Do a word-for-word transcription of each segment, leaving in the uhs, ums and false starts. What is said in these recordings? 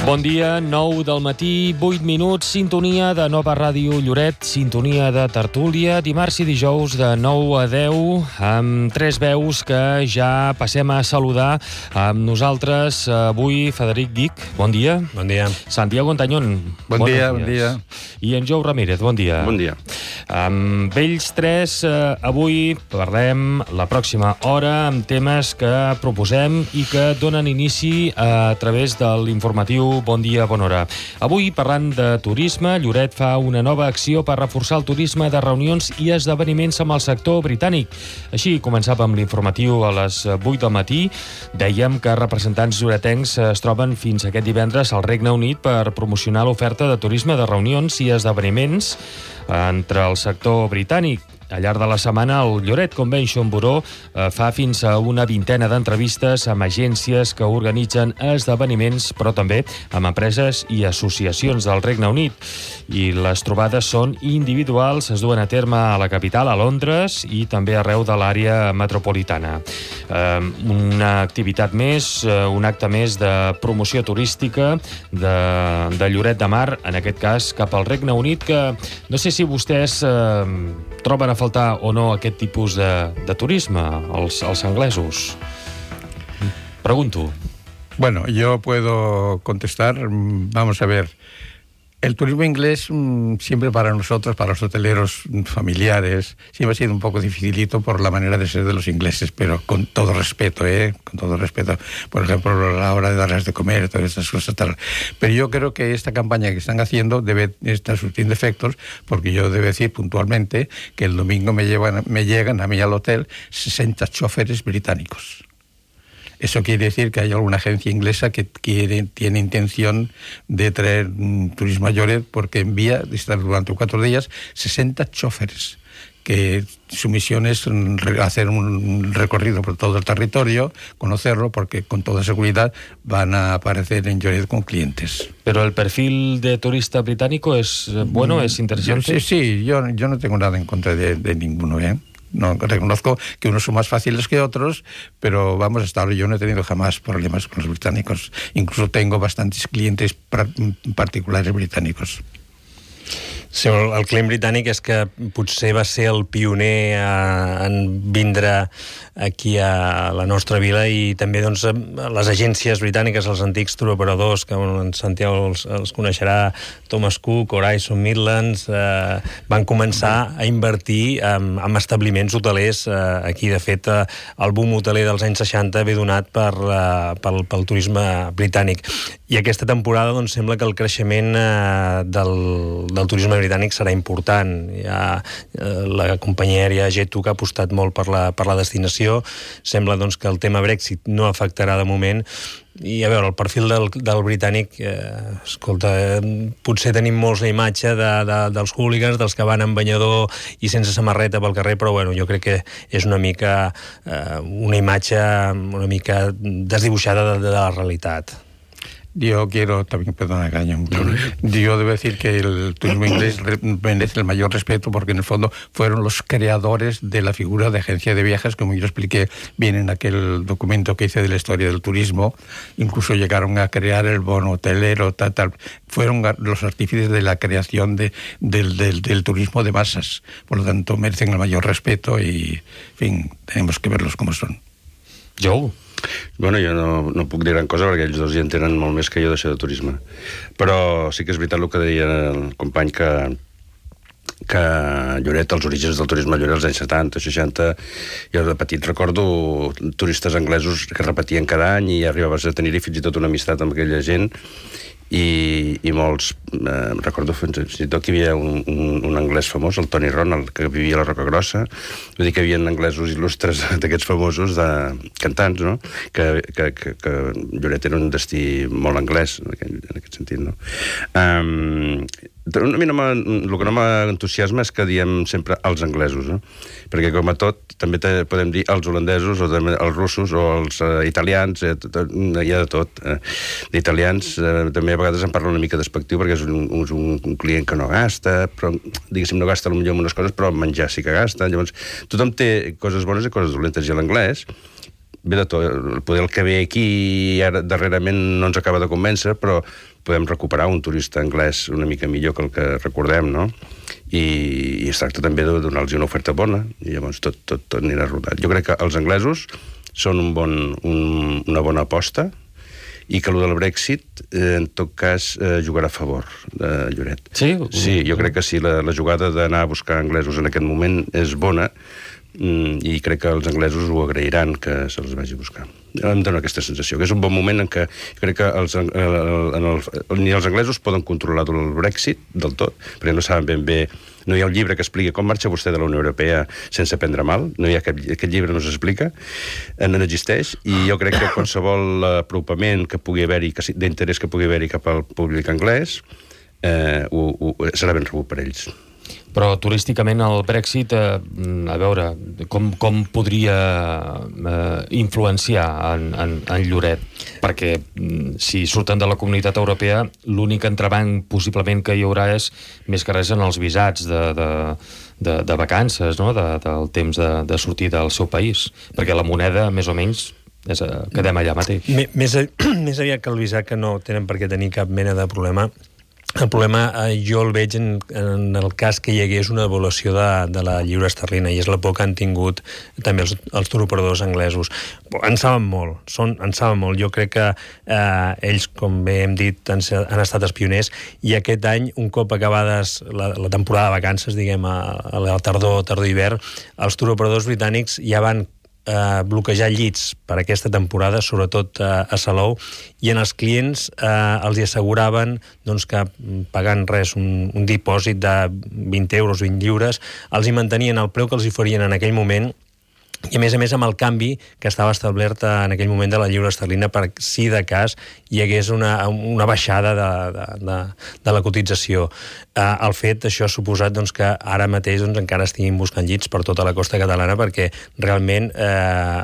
Bon dia, nou del matí, vuit minuts, sintonia de Nova Ràdio Lloret, sintonia de tertúlia, dimarts i dijous de nou a deu, amb tres veus que ja passem a saludar amb nosaltres. Avui, Frederic Guich, bon dia. Bon dia. Santiago Antañón. Bon dia, bon dia. I en Jou Ramírez, bon dia. Bon dia. Amb ells tres, eh, avui parlem la pròxima hora amb temes que proposem i que donen inici a través de l'informatiu Bon dia, bona hora. Avui, parlant de turisme, Lloret fa una nova acció per reforçar el turisme de reunions i esdeveniments amb el sector britànic. Així començàvem l'informatiu a les vuit del matí. Dèiem que representants lloretencs es troben fins aquest divendres al Regne Unit per promocionar l'oferta de turisme de reunions i esdeveniments entre el sector britànic. Al llarg de la setmana, el Lloret Convention Bureau eh, fa fins a una vintena d'entrevistes amb agències que organitzen esdeveniments, però també amb empreses i associacions del Regne Unit. I les trobades són individuals, es duen a terme a la capital, a Londres, i també arreu de l'àrea metropolitana. Eh, una activitat més, eh, un acte més de promoció turística de, de Lloret de Mar, en aquest cas cap al Regne Unit, que no sé si vostès eh, troben a faltar o no aquest tipus de, de turisme, els, els anglesos. Pregunto. Bueno, yo puedo contestar. Vamos a ver. El turismo inglés siempre para nosotros, para los hoteleros familiares, siempre ha sido un poco dificilito por la manera de ser de los ingleses, pero con todo respeto, ¿eh? Con todo respeto. Por ejemplo, a la hora de darles de comer, todas estas cosas tal. Pero yo creo que esta campaña que están haciendo debe estar surtiendo efectos, porque yo debo decir puntualmente que el domingo me, llevan, me llegan a mí al hotel sesenta choferes británicos. Eso quiere decir que hay alguna agencia inglesa que quiere, tiene intención de traer mm, turismo a Lloret porque envía durante cuatro días sesenta choferes, que su misión es hacer un recorrido por todo el territorio, conocerlo, porque con toda seguridad van a aparecer en Lloret con clientes. Pero el perfil de turista británico es bueno, es interesante. Sí, sí, yo, yo no tengo nada en contra de, de ninguno, ¿eh? No, reconozco que unos son más fáciles que otros, pero vamos, hasta ahora yo no he tenido jamás problemas con los británicos. Incluso tengo bastantes clientes particulares británicos. Sí, el, el client britànic és que potser va ser el pioner a, en vindre aquí a la nostra vila, i també doncs, les agències britàniques, els antics touroperadors, que bueno, en Santiago els, els coneixerà, Thomas Cook, Horizon Midlands, eh, van començar a invertir en, en establiments hotelers eh, aquí. De fet, eh, el boom hoteler dels anys seixanta ve donat per, eh, pel, pel turisme britànic. I aquesta temporada doncs, sembla que el creixement eh, del, del turisme britànic serà important. Hi ha eh, la companyia aèria Jet two que ha apostat molt per la, per la destinació. Sembla doncs, que el tema Brexit no afectarà de moment. I a veure, el perfil del, del britànic, eh, escolta, eh, potser tenim molts la imatge de, de, dels hooligans, dels que van en banyador i sense samarreta pel carrer, però bueno, jo crec que és una mica eh, una imatge una mica desdibuixada de, de la realitat. Yo quiero también, perdona, Cañón, yo debo decir que el turismo inglés merece el mayor respeto porque en el fondo fueron los creadores de la figura de agencia de viajes, como yo expliqué bien en aquel documento que hice de la historia del turismo. Incluso llegaron a crear el bono hotelero, tal, tal. Fueron los artífices de la creación de, del, del, del turismo de masas. Por lo tanto, merecen el mayor respeto y, en fin, tenemos que verlos como son. Jou? Bueno, jo no, no puc dir gran cosa perquè ells dos hi entenen molt més que jo d'això de turisme. Però sí que és veritat el que deia el company, que que Lloret, els orígens del turisme a Lloret als anys setanta, seixanta, jo de petit recordo turistes anglesos que repetien cada any i arribaves a tenir-hi fins i tot una amistat amb aquella gent. I, i molts, eh, recordo fins i tot que hi havia un, un, un anglès famós, el Tony Ronald, que vivia a la Roca Grossa. Vull dir que hi havia anglesos il·lustres d'aquests famosos, de cantants, no? Que, que, que, que Lloret era un destí molt anglès, en aquest, en aquest sentit, no? Um, a mi no el que no m'entusiasma és que diem sempre els anglesos, no? Perquè com a tot també te, podem dir els holandesos o també els russos o els uh, italians, eh, tot, hi ha de tot. Eh, d'italians eh, també a vegades em parla una mica despectiu perquè és un, un, un client que no gasta, però diguéssim no gasta potser en unes coses, però menjar sí que gasta. Llavors tothom té coses bones i coses dolentes, i l'anglès ve de tot. Poder el que ve aquí ara darrerament no ens acaba de convèncer, però podem recuperar un turista anglès una mica millor que el que recordem, no? I, i es tracta també de donar-los una oferta bona, i llavors tot, tot, tot anirà rodat. Jo crec que els anglesos són un bon, un, una bona aposta, i que el del Brexit, eh, en tot cas, eh, jugarà a favor de Lloret. Sí? Sí, jo crec que sí, la, la jugada d'anar a buscar anglesos en aquest moment és bona, i crec que els anglesos ho agrairan que se'ls vagi a buscar. Em dóna aquesta sensació, que és un bon moment en què crec que els, en el, ni els anglesos poden controlar el Brexit del tot, perquè no saben ben bé, no hi ha un llibre que expliqui com marxa vostè de la Unió Europea sense prendre mal, no hi ha cap, aquest llibre no s'explica, no existeix, i jo crec que qualsevol apropament que pugui haver-hi, d'interès que pugui haver-hi cap al públic anglès, eh, ho, ho, serà ben rebut per ells. Però turísticament el Brexit, eh, a veure, com, com podria eh, influenciar en, en, en Lloret? Perquè si surten de la Comunitat Europea, l'únic entrebanc possiblement que hi haurà és més que res en els visats de, de, de, de vacances, no? de, del temps de, de sortir del seu país. Perquè la moneda, més o menys, és, quedem allà mateix. Més, més aviat que el visat, que no tenen per què tenir cap mena de problema. El problema eh, jo el veig en, en el cas que hi hagués una devaluació de, de la lliura esterlina, i és la por que han tingut també els, els turoperadors anglesos. En saben molt, són, en saben molt. Jo crec que eh, ells, com bé hem dit, han, han estat els pioners, i aquest any, un cop acabades la, la temporada de vacances, diguem, a, a la tardor, tardor-hivern, els turoperadors britànics ja van Eh, bloquejar llits per aquesta temporada, sobretot eh, a Salou, i en els clients eh, els hi asseguraven doncs, que pagant res, un, un dipòsit de vint euros, vint lliures, els hi mantenien el preu que els hi farien en aquell moment, i a més a més amb el canvi que estava establert en aquell moment de la lliura esterlina, per si de cas hi hagués una, una baixada de, de, de, de la cotització. Eh, el fet, això ha suposat doncs, que ara mateix doncs, encara estiguin buscant llits per tota la costa catalana, perquè realment eh,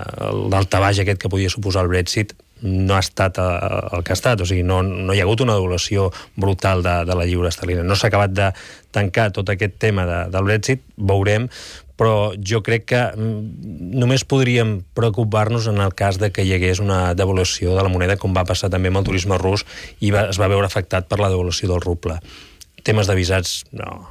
l'altabaix aquest que podia suposar el Brexit no ha estat el que ha estat, o sigui, no, no hi ha hagut una devaluació brutal de, de la lliura esterlina. No s'ha acabat de tancar tot aquest tema de, del Brexit, veurem, però jo crec que només podríem preocupar-nos en el cas de que hi hagués una devaluació de la moneda, com va passar també amb el turisme rus, i va, es va veure afectat per la devaluació del ruble. Temes de visats, no,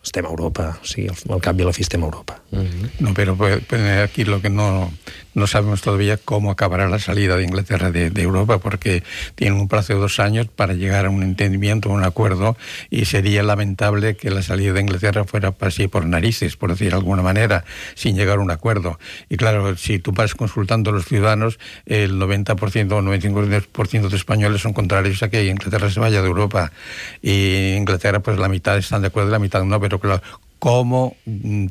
estem a Europa, o sigui, al cap i a la fi estem a Europa. Uh-huh. No, pero pues, aquí lo que no, no sabemos todavía cómo acabará la salida de Inglaterra de, de Europa, porque tienen un plazo de dos años para llegar a un entendimiento, a un acuerdo, y sería lamentable que la salida de Inglaterra fuera así por narices, por decir de alguna manera, sin llegar a un acuerdo. Y claro, si tú vas consultando a los ciudadanos, el noventa por ciento o noventa y cinco por ciento de españoles son contrarios a que Inglaterra se vaya de Europa. Y Inglaterra, pues la mitad están de acuerdo y la mitad no, pero claro, cómo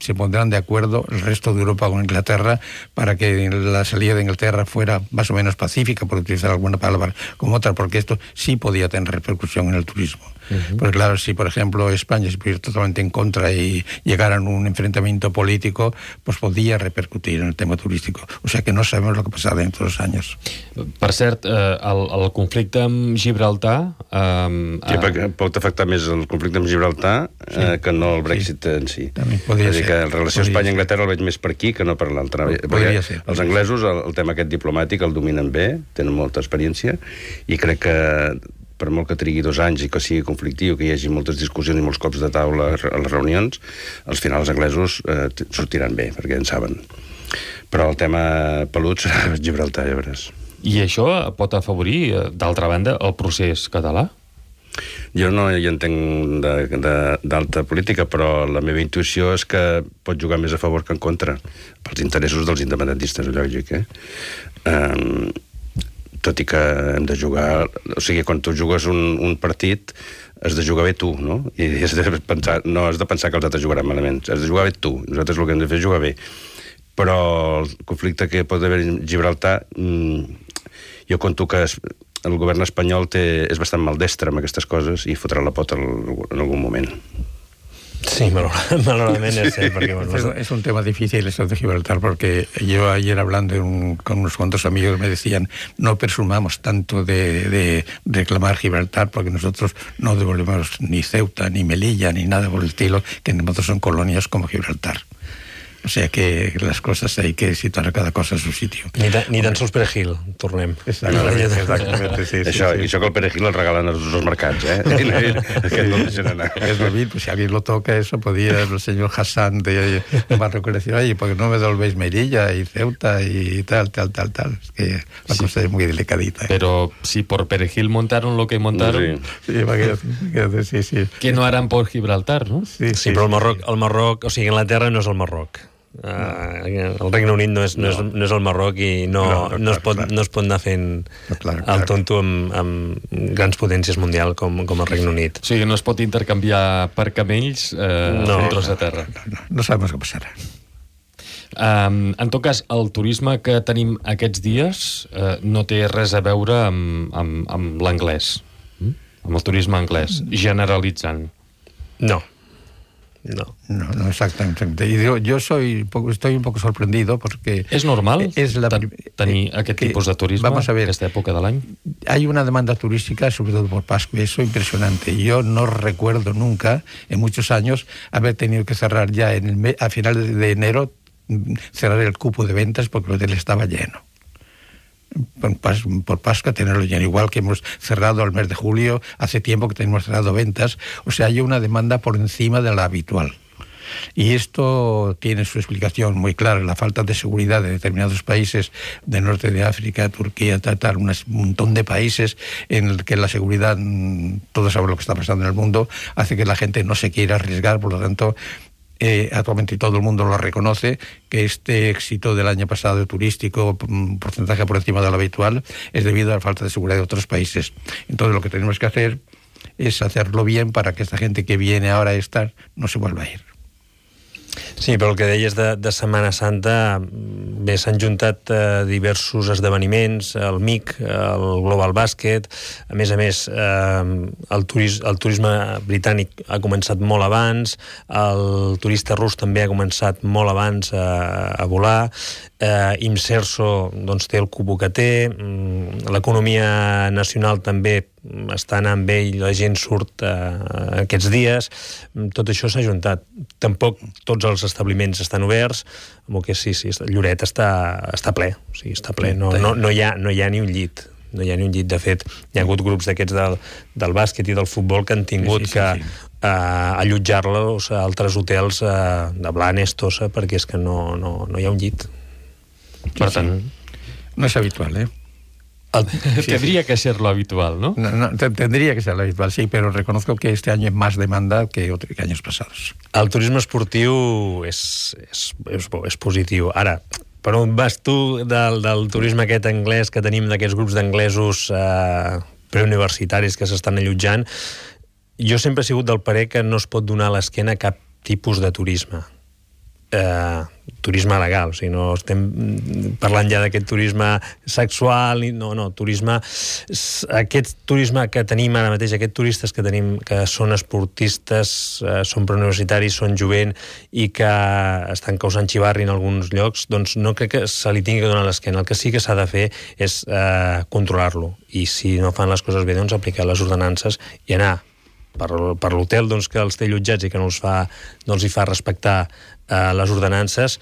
se pondrán de acuerdo el resto de Europa con Inglaterra para que la salida de Inglaterra fuera más o menos pacífica, por utilizar alguna palabra como otra, porque esto sí podía tener repercusión en el turismo. Uh-huh. Pues claro, si por ejemplo España se pusiera totalmente en contra y llegara a un enfrentamiento político, pues podía repercutir en el tema turístico. O sea que no sabemos lo que pasará dentro de dos años. Per cert, eh, el, el conflicte amb Gibraltar... Eh, sí, perquè pot afectar més el conflicte amb Gibraltar sí. eh, que no el Brexit sí. en si. Podria és a dir, que la relació Espanya-Anglaterra el veig més per aquí que no per l'altra. Perquè ser, els anglesos, el, el tema aquest diplomàtic el dominen bé, tenen molta experiència, i crec que per molt que trigui dos anys i que sigui conflictiu, que hi hagi moltes discussions i molts cops de taula a les reunions, al final els anglesos eh, sortiran bé, perquè en saben. Però el tema pelut serà Gibraltar, ja veuràs. I això pot afavorir, d'altra banda, el procés català? Jo no hi entenc d'alta política, però la meva intuïció és que pot jugar més a favor que en contra, pels interessos dels independentistes, lògic, eh? Um, tot i que hem de jugar... O sigui, quan tu jugues un, un partit, has de jugar bé tu, no? I has de pensar, no has de pensar que els altres jugaran malament, has de jugar bé tu. Nosaltres el que hem de fer és jugar bé. Però el conflicte que pot haver a Gibraltar, jo conto que el govern espanyol té, és bastant maldestre amb aquestes coses i fotrà la pota en algun moment. Sí, malauradament es cert, porque bueno, es, es un tema difícil esto de Gibraltar, porque yo ayer hablando de un, con unos cuantos amigos me decían, no presumamos tanto de, de reclamar Gibraltar, porque nosotros no devolvemos ni Ceuta, ni Melilla, ni nada por el estilo, que nosotros son colonias como Gibraltar. O sea que las cosas hay que situar cada cosa en su sitio. Ni, ta, ni tan sols perejil, tornem. Exactamente, exactamente, sí, sí, això, sí. I això que el perejil el regalen als, als mercats, eh? Aquest no el deixen anar. Es lo mismo, pues si alguien lo toca, eso podía el señor Hassan de Barrio decir, oye, ¿por qué no me devolvéis Melilla y Ceuta y tal, tal, tal, tal? Es que la sí. cosa es muy delicadita. ¿eh? Pero si por perejil montaron lo que montaron... Sí, sí, imagínate, sí, sí. Que no harán por Gibraltar, no? Sí, sí, sí però el Marroc, el Marroc, o sigui, Anglaterra no és el Marroc. Uh, el Regne Unit no és, no. No, és, no és el Marroc i no, no, no, no, es pot, no es pot anar fent no, clar, clar. el tonto amb, amb grans potències mundials com, com el Regne Unit. O sigui, no es pot intercanviar per camells eh, no, un tros de terra. No, no, no, no sabem què passarà. Um, en tot cas, el turisme que tenim aquests dies uh, no té res a veure amb, amb, amb l'anglès, mm? amb el turisme anglès, generalitzant. No. No. No, no, exactamente. Y yo, yo soy poco, estoy un poco sorprendido porque... ¿Es normal es la, tenir aquest que, tipus de turisme vamos a ver, en esta època de l'any? Hay una demanda turística, sobre todo por Pascua, eso impresionante. Yo no recuerdo nunca, en muchos años, haber tenido que cerrar ya en el mes, a finales de enero, cerrar el cupo de ventas porque el hotel estaba lleno. Por, por Pascua tenerlo lleno, igual que hemos cerrado el mes de julio, hace tiempo que tenemos cerrado ventas, o sea, hay una demanda por encima de la habitual. Y esto tiene su explicación muy clara, la falta de seguridad de determinados países del norte de África, Turquía, tal, tal, un montón de países en el que la seguridad, todos saben lo que está pasando en el mundo, hace que la gente no se quiera arriesgar, por lo tanto... Eh, actualmente todo el mundo lo reconoce, que este éxito del año pasado turístico, un porcentaje por encima de lo habitual, es debido a la falta de seguridad de otros países. Entonces lo que tenemos que hacer es hacerlo bien para que esta gente que viene ahora a estar no se vuelva a ir. Sí, però el que deies de, de Setmana Santa, bé, s'han juntat eh, diversos esdeveniments, el M I C, el Global Basket, a més a més, eh, el, turis, el turisme britànic ha començat molt abans, el turista rus també ha començat molt abans a, a volar, eh, Imserso doncs, té el cubo que té, l'economia nacional també està anant bé i la gent surt eh, aquests dies, tot això s'ha juntat. Tampoc tots els establiments estan oberts, amb el que sí, sí, Lloret està, està ple, o sigui, està ple, no, no, no, hi ha, no hi ha ni un llit. No hi ha ni un llit. De fet, hi ha hagut grups d'aquests del, del bàsquet i del futbol que han tingut sí, sí, sí, que sí. Uh, allotjar-los a altres hotels uh, de Blanes, Tossa, perquè és que no, no, no hi ha un llit. Sí, per tant, sí. No és habitual, eh? El, sí, tendría sí. que ser lo habitual, ¿no? No, no tendría que ser lo habitual, sí, pero reconozco que este año hay más demanda que, otro, que años pasados. El turisme esportiu és, és, és, és positiu. Ara, per on vas tu del, del turisme aquest anglès que tenim, d'aquests grups d'anglesos eh, preuniversitaris que s'estan allotjant? Jo sempre he sigut del parer que no es pot donar a l'esquena cap tipus de turisme. Eh, turisme legal, o sigui, no estem parlant ja d'aquest turisme sexual, no, no, turisme aquest turisme que tenim ara mateix, aquests turistes que tenim que són esportistes, eh, són preuniversitaris, són jovent i que estan causant xivarri en alguns llocs, doncs no crec que se li tingui que donar l'esquena. El que sí que s'ha de fer és eh, controlar-lo, i si no fan les coses bé, doncs aplicar les ordenances i anar per, per l'hotel doncs, que els té allotjats i que no els fa, no els hi fa respectar Uh, les ordenances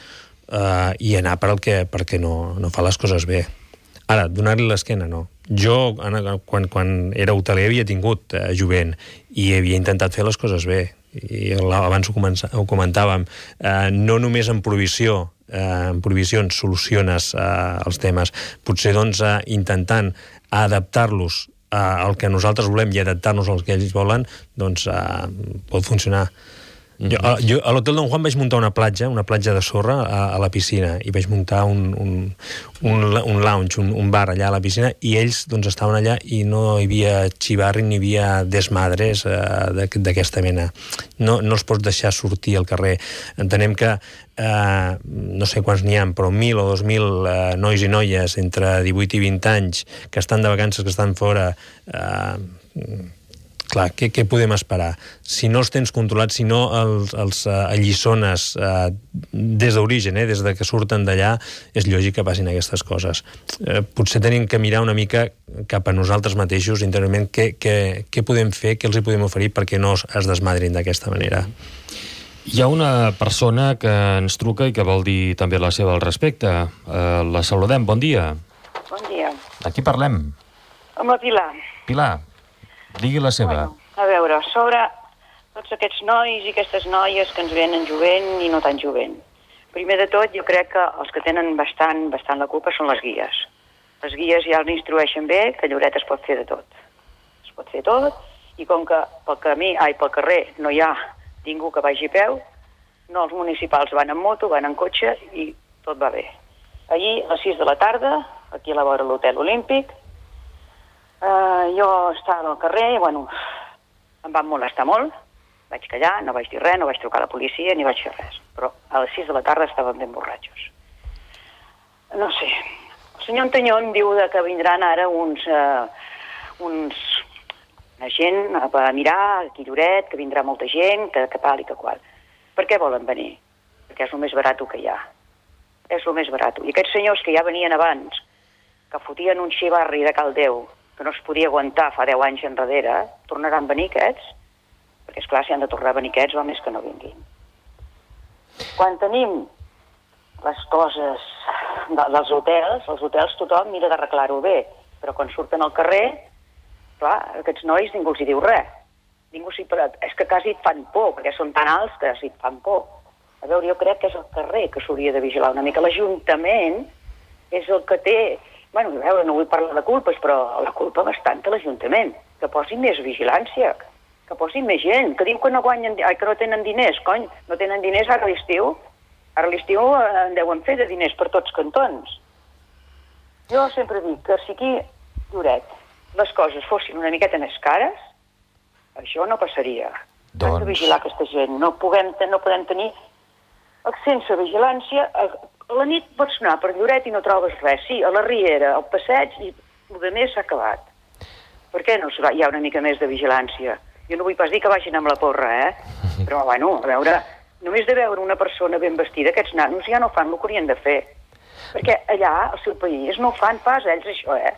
uh, i anar per el que, perquè no, no fa les coses bé. Ara, donar-li l'esquena, no. Jo, quan, quan era hoteler, havia tingut uh, jovent i havia intentat fer les coses bé. I abans ho, comença, ho comentàvem. Uh, no només en provisió, uh, en provisions soluciones uh, els temes. Potser, doncs, uh, intentant adaptar-los uh, al que nosaltres volem i adaptar-nos al que ells volen, doncs uh, pot funcionar. Jo, a, jo a l'Hotel Don Juan vaig muntar una platja, una platja de sorra a, a la piscina, i vaig muntar un, un, un, un lounge, un, un bar allà a la piscina, i ells doncs, estaven allà i no hi havia xivarri ni hi havia desmadres eh, d'aquesta mena. No, no els pots deixar sortir al carrer. Entenem que eh, no sé quants n'hi ha, però mil o dos mil eh, nois i noies entre divuit i vint anys que estan de vacances, que estan fora... Eh, clar, què, què podem esperar? Si no els tens controlats, si no els, els uh, alliçones uh, des d'origen, eh, des de que surten d'allà, és lògic que passin aquestes coses. Eh, potser tenim que mirar una mica cap a nosaltres mateixos, interiorment, què, què, què podem fer, què els hi podem oferir perquè no es desmadrin d'aquesta manera. Hi ha una persona que ens truca i que vol dir també la seva al respecte. Uh, la saludem, bon dia. Bon dia. De qui parlem? Amb la Pilar. Pilar, digui la seva. Bueno, a veure, sobre tots aquests nois i aquestes noies que ens venen jovent i no tan jovent. Primer de tot, jo crec que els que tenen bastant, bastant la culpa són les guies. Les guies ja els instrueixen bé que Lloret es pot fer de tot. Es pot fer tot, i com que pel camí, ai, pel carrer no hi ha ningú que vagi a peu, no, els municipals van en moto, van en cotxe i tot va bé. Ahir, a les sis de la tarda, aquí a la vora de l'Hotel Olímpic, eh, jo estava al carrer i, bueno, em van molestar molt, vaig callar, no vaig dir res, no vaig trucar a la policia ni vaig fer res, però a les sis de la tarda estaven ben borratxos. No sé, el senyor Antanyó em diu que vindran ara uns... Eh, uns una gent a mirar aquí a Lloret, que vindrà molta gent, que, que tal i que qual. Per què volen venir? Perquè és el més barat que hi ha. És el més barat. I aquests senyors que ja venien abans, que fotien un xivarri de Caldeu, que no es podia aguantar fa deu anys enrere, tornaran a venir aquests? Perquè, esclar, si han de tornar a venir aquests, va més que no vinguin. Quan tenim les coses de, dels hotels, els hotels tothom mira d'arreglar-ho bé, però quan surten al carrer, clar, aquests nois ningú els hi diu res. Ningú s'hi... És que quasi et fan por, perquè són tan alts que s'hi fan por. A veure, jo crec que és el carrer que s'hauria de vigilar una mica. L'Ajuntament és el que té... Bueno, a veure, no vull parlar de culpes, però la culpa bastant a l'Ajuntament. Que posin més vigilància, que posin més gent, que diu que no guanyen... Ai, que no tenen diners, cony, no tenen diners ara a l'estiu. Ara a l'estiu en deuen fer de diners per tots cantons. Jo sempre dic que si aquí, Lloret, les coses fossin una miqueta més cares, això no passaria. Doncs... Hem de vigilar aquesta gent. No, puguem, no podem tenir... Sense vigilància, a, a la nit pots anar per Lloret i no trobes res. Sí, a la Riera, al passeig, i el de més s'ha acabat. Per què no hi ha una mica més de vigilància? Jo no vull pas dir que vagin amb la porra, eh? Però, bueno, a veure, només de veure una persona ben vestida, aquests nanos ja no fan el que haurien de fer. Perquè allà, al seu país, no ho fan pas ells, això, eh?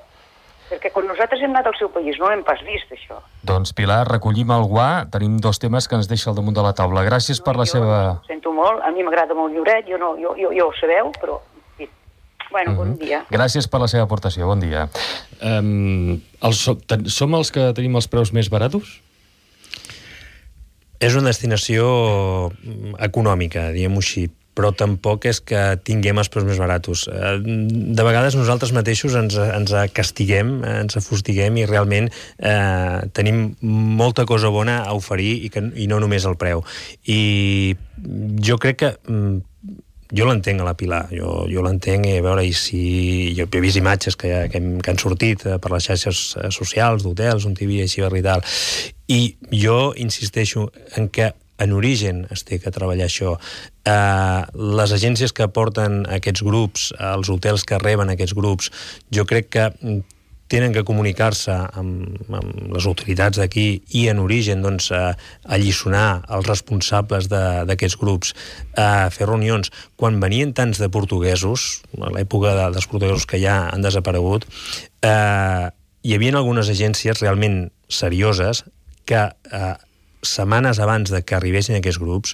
Perquè quan nosaltres hem anat al seu país no hem pas vist, això. Doncs, Pilar, recollim el guà. Tenim dos temes que ens deixa al damunt de la taula. Gràcies no, per la jo seva... sento molt, a mi m'agrada molt Lloret, jo, no, jo, jo, jo ho sabeu, però... Sí. Bueno, mm-hmm. Bon dia. Gràcies per la seva aportació, bon dia. Um, els, som els que tenim els preus més baratos? És una destinació econòmica, diguem-ho així, però tampoc és que tinguem els preus més baratos. De vegades nosaltres mateixos ens, ens castiguem, ens afustiguem i realment eh, tenim molta cosa bona a oferir i, que, i no només el preu. I jo crec que... Jo l'entenc a la Pilar, jo, jo l'entenc i a veure, i si... Jo he vist imatges que, que, hem, que han sortit per les xarxes socials, d'hotels, on hi havia així i tal, i jo insisteixo en que en origen es té que treballar això. Eh, les agències que porten aquests grups, els hotels que reben aquests grups, jo crec que tenen que comunicar-se amb, amb les autoritats d'aquí i en origen doncs, eh, alliçonar els responsables d'aquests grups, eh, fer reunions. Quan venien tants de portuguesos, a l'època de, dels portuguesos que ja han desaparegut, eh, hi havia algunes agències realment serioses que eh, setmanes abans de que arribessin aquests grups,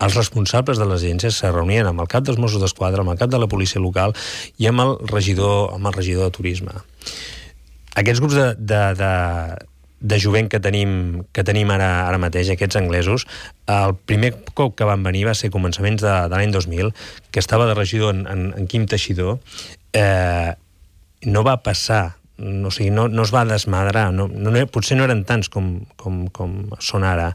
els responsables de les agències se reunien amb el cap dels Mossos d'Esquadra, amb el cap de la policia local i amb el regidor, amb el regidor de turisme. Aquests grups de, de, de, de jovent que tenim, que tenim ara, ara mateix, aquests anglesos, el primer cop que van venir va ser començaments de, de l'any dos mil, que estava de regidor en, en, en Quim Teixidor, eh, no va passar, no, o sigui, no, no es va desmadrar, no, no, potser no eren tants com, com, com són ara.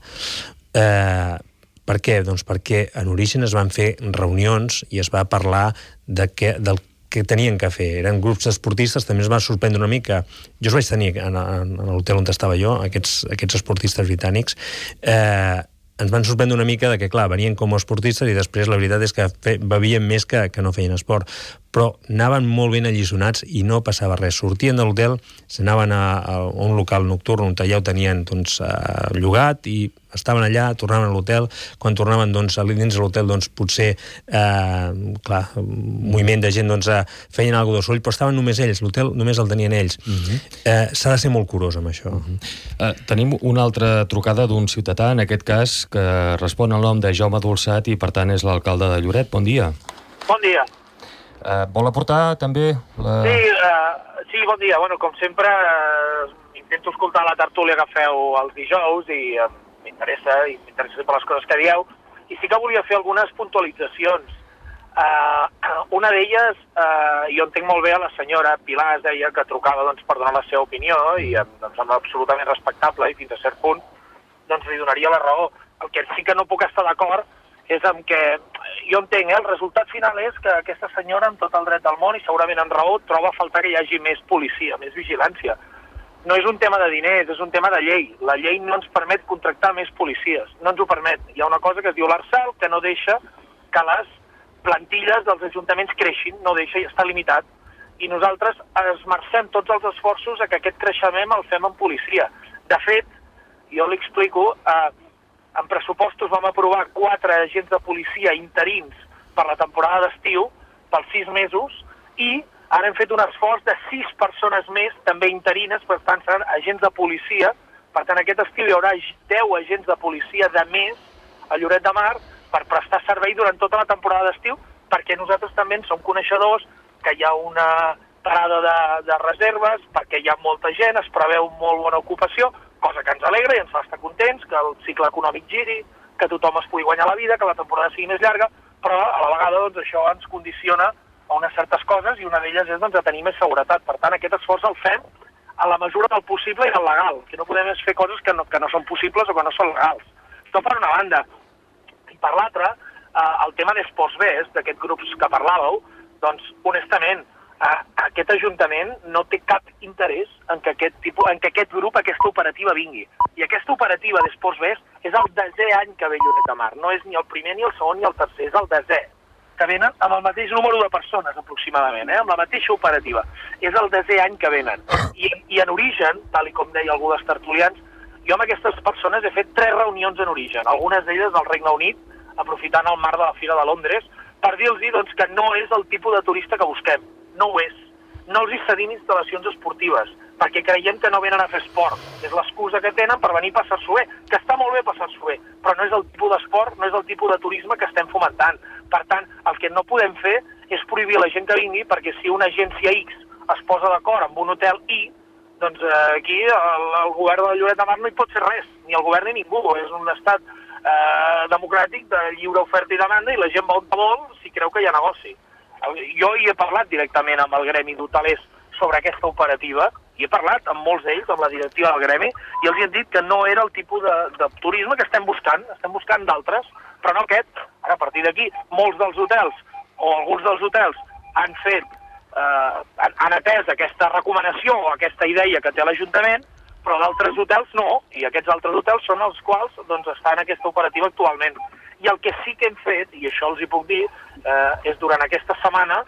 Eh, per què? Doncs perquè en origen es van fer reunions i es va parlar de que, del que tenien que fer. Eren grups esportistes, també es va sorprendre una mica. Jo els vaig tenir en, en, en l'hotel on estava jo, aquests, aquests esportistes britànics. Eh, ens van sorprendre una mica de que, clar, venien com a esportistes i després la veritat és que fe, bevien més que, que no feien esport. però anaven molt ben allisonats i no passava res. Sortien de l'hotel, s'anaven a, a un local nocturn on ja ho tenien doncs, uh, llogat i estaven allà, tornaven a l'hotel. Quan tornaven doncs, a dins de l'hotel, doncs, potser eh, clar, moviment de gent doncs, feien alguna de soroll, però estaven només ells, l'hotel només el tenien ells. Uh-huh. eh, S'ha de ser molt curós amb això. Uh-huh. uh, Tenim una altra trucada d'un ciutadà, en aquest cas, que respon al nom de Jaume Dolçat i, per tant, és l'alcalde de Lloret. Bon dia. Bon dia. Uh, vol aportar també la... Sí, uh, sí, bon dia. Bueno, com sempre, uh, intento escoltar la tertúlia que feu els dijous i uh, m'interessa, i m'interessa sempre les coses que dieu, i sí que volia fer algunes puntualitzacions. Uh, una d'elles, uh, jo entenc molt bé a la senyora Pilar, es deia que trucava doncs, per donar la seva opinió, i em doncs, sembla absolutament respectable, i fins a cert punt doncs, li donaria la raó. El que sí que no puc estar d'acord és amb que, jo entenc, eh, el resultat final és que aquesta senyora, amb tot el dret del món, i segurament en raó, troba a faltar que hi hagi més policia, més vigilància. No és un tema de diners, és un tema de llei. La llei no ens permet contractar més policies, no ens ho permet. Hi ha una cosa que es diu l'Arsal que no deixa que les plantilles dels ajuntaments creixin, no deixa i està limitat. I nosaltres esmercem tots els esforços a que aquest creixement el fem en policia. De fet, jo li explico, eh, en pressupostos vam aprovar quatre agents de policia interins per la temporada d'estiu, pels sis mesos, i ara hem fet un esforç de sis persones més, també interines, per tant seran agents de policia. Per tant, aquest estiu hi haurà deu agents de policia de més a Lloret de Mar per prestar servei durant tota la temporada d'estiu, perquè nosaltres també en som coneixedors que hi ha una parada de, de reserves, perquè hi ha molta gent, es preveu molt bona ocupació, cosa que ens alegra i ens fa estar contents, que el cicle econòmic giri, que tothom es pugui guanyar la vida, que la temporada sigui més llarga, però a la vegada doncs, això ens condiciona a unes certes coses i una d'elles és doncs, de tenir més seguretat. Per tant, aquest esforç el fem a la mesura del possible i del legal, que no podem fer coses que no, que no són possibles o que no són legals. Això per una banda. I per l'altra, eh, el tema d'Esports Best, d'aquests grups que parlàveu, doncs, honestament, eh, aquest Ajuntament no té cap interès en que aquest, tipus, en que aquest grup, aquesta operativa vingui. I aquesta operativa d'Esports Best és el desè any que ve Lloret de Mar. No és ni el primer, ni el segon, ni el tercer, és el desè, que venen amb el mateix número de persones, aproximadament, eh? amb la mateixa operativa. És el desè any que venen. I, i en origen, tal i com deia algú dels tertulians, jo amb aquestes persones he fet tres reunions en origen, algunes d'elles del Regne Unit, aprofitant el marc de la Fira de Londres, per dir-los doncs, que no és el tipus de turista que busquem. No ho és. No els hi cedim instal·lacions esportives, perquè creiem que no venen a fer esport. És l'excusa que tenen per venir a passar-s'ho bé, que està molt bé passar-s'ho bé, però no és el tipus d'esport, no és el tipus de turisme que estem fomentant. Per tant, el que no podem fer és prohibir a la gent que vingui, perquè si una agència X es posa d'acord amb un hotel Y, doncs eh, aquí el, el govern de Lloret de Mar no hi pot fer res, ni el govern ni ningú. És un estat eh, democràtic de lliure oferta i demanda i la gent va on vol si creu que hi ha negoci. Jo hi he parlat directament amb el gremi d'hotelers sobre aquesta operativa i he parlat amb molts d'ells, amb la directiva del gremi, i els he dit que no era el tipus de, de turisme que estem buscant, estem buscant d'altres, però no aquest. Ara, a partir d'aquí, molts dels hotels, o alguns dels hotels, han fet, eh, han, han atès aquesta recomanació o aquesta idea que té l'Ajuntament, però d'altres hotels no, i aquests altres hotels són els quals doncs, estan en aquesta operativa actualment. I el que sí que hem fet, i això els hi puc dir, eh, és durant aquesta setmana,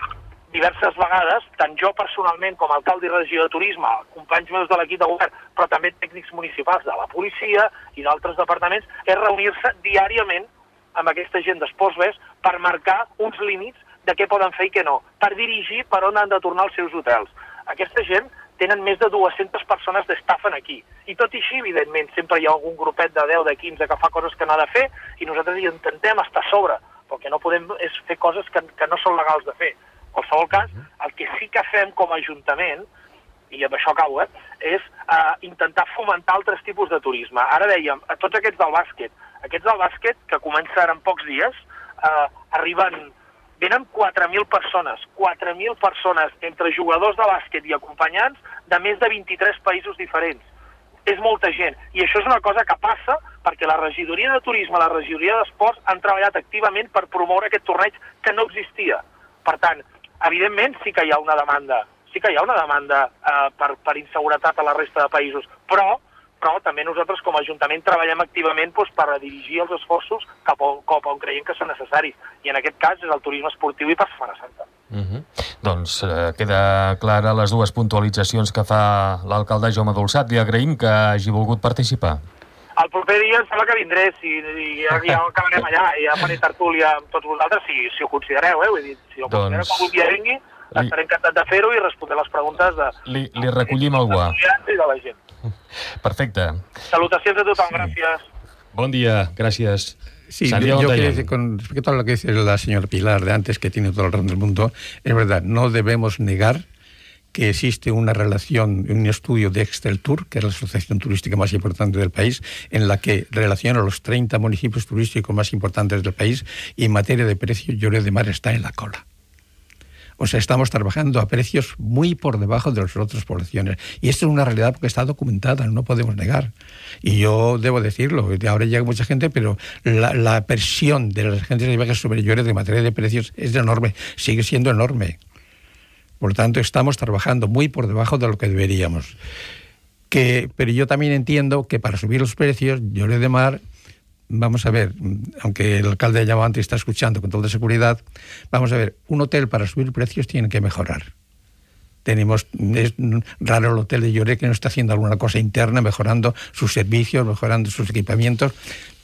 diverses vegades, tant jo personalment com a alcalde i regidor de turisme, companys meus de l'equip de govern, però també tècnics municipals de la policia i d'altres departaments, és reunir-se diàriament amb aquesta gent d'Esports Best per marcar uns límits de què poden fer i què no, per dirigir per on han de tornar els seus hotels. Aquesta gent tenen més de dues-centes persones d'estafen aquí. I tot i així, evidentment, sempre hi ha algun grupet de deu, de quinze que fa coses que no ha de fer i nosaltres hi intentem estar a sobre, però el que no podem és fer coses que, que no són legals de fer. En qualsevol cas, el que sí que fem com a Ajuntament, i amb això acabo, eh, és eh, intentar fomentar altres tipus de turisme. Ara dèiem, a tots aquests del bàsquet, aquests del bàsquet, que començaran en pocs dies, eh, arriben, venen quatre mil persones, quatre mil persones entre jugadors de bàsquet i acompanyants de més de vint-i-tres països diferents. És molta gent, i això és una cosa que passa perquè la regidoria de turisme, la regidoria d'esports han treballat activament per promoure aquest torneig que no existia. Per tant, evidentment sí que hi ha una demanda, sí que hi ha una demanda eh, per, per inseguretat a la resta de països, però, però també nosaltres com a Ajuntament treballem activament doncs, per dirigir els esforços cap on, cap on creiem que són necessaris, i en aquest cas és el turisme esportiu i per Setmana Santa. Uh-huh. Doncs eh, queda clara les dues puntualitzacions que fa l'alcalde Jaume Dolçat. Li agraïm que hagi volgut participar. El proper dia em sembla que vindré, si, i ja, ja acabarem allà, i ja faré tertúlia amb tots vosaltres, si, si ho considereu, eh? Vull dir, si ho considereu doncs... com un dia vingui, li... estaré encantat de fer-ho i respondre les preguntes de... Li, li recollim el guà. I de la gent. Perfecte. Salutacions a tothom, sí. Gràcies. Bon dia, gràcies. Sí, Santiago, yo quiero decir, con respecto a lo que dice la señora Pilar de antes, que tiene todo el razón del mundo, es verdad, no debemos negar que existe una relación, un estudio de Exceltur, que es la asociación turística más importante del país, en la que relaciona los treinta municipios turísticos más importantes del país, y en materia de precios, Lloret de Mar está en la cola. O sea, estamos trabajando a precios muy por debajo de las otras poblaciones. Y esto es una realidad porque está documentada, no podemos negar. Y yo debo decirlo, ahora llega mucha gente, pero la, la presión de las agencias de viajes sobre Lloret en materia de precios es enorme, sigue siendo enorme. Por lo tanto, estamos trabajando muy por debajo de lo que deberíamos. Que, pero yo también entiendo que para subir los precios, Lloret de Mar, vamos a ver, aunque el alcalde de Llamante está escuchando con toda seguridad, vamos a ver, un hotel para subir precios tiene que mejorar. Tenemos, es raro el hotel de Lloret que no está haciendo alguna cosa interna, mejorando sus servicios, mejorando sus equipamientos,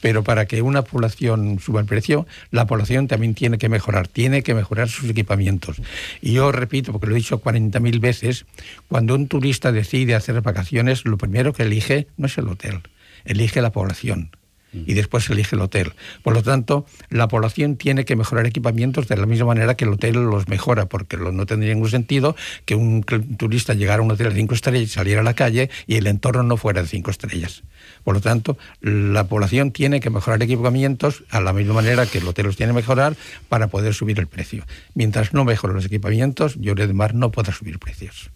pero para que una población suba el precio, la población también tiene que mejorar, tiene que mejorar sus equipamientos. Y yo repito, porque lo he dicho cuarenta mil veces, cuando un turista decide hacer vacaciones, lo primero que elige no es el hotel, elige la población. Y después se elige el hotel. Por lo tanto, la población tiene que mejorar equipamientos de la misma manera que el hotel los mejora, porque no tendría ningún sentido que un turista llegara a un hotel de cinco estrellas y saliera a la calle y el entorno no fuera de cinco estrellas. Por lo tanto, la población tiene que mejorar equipamientos a la misma manera que el hotel los tiene que mejorar para poder subir el precio. Mientras no mejoren los equipamientos, Lloret de Mar no podrà subir precios.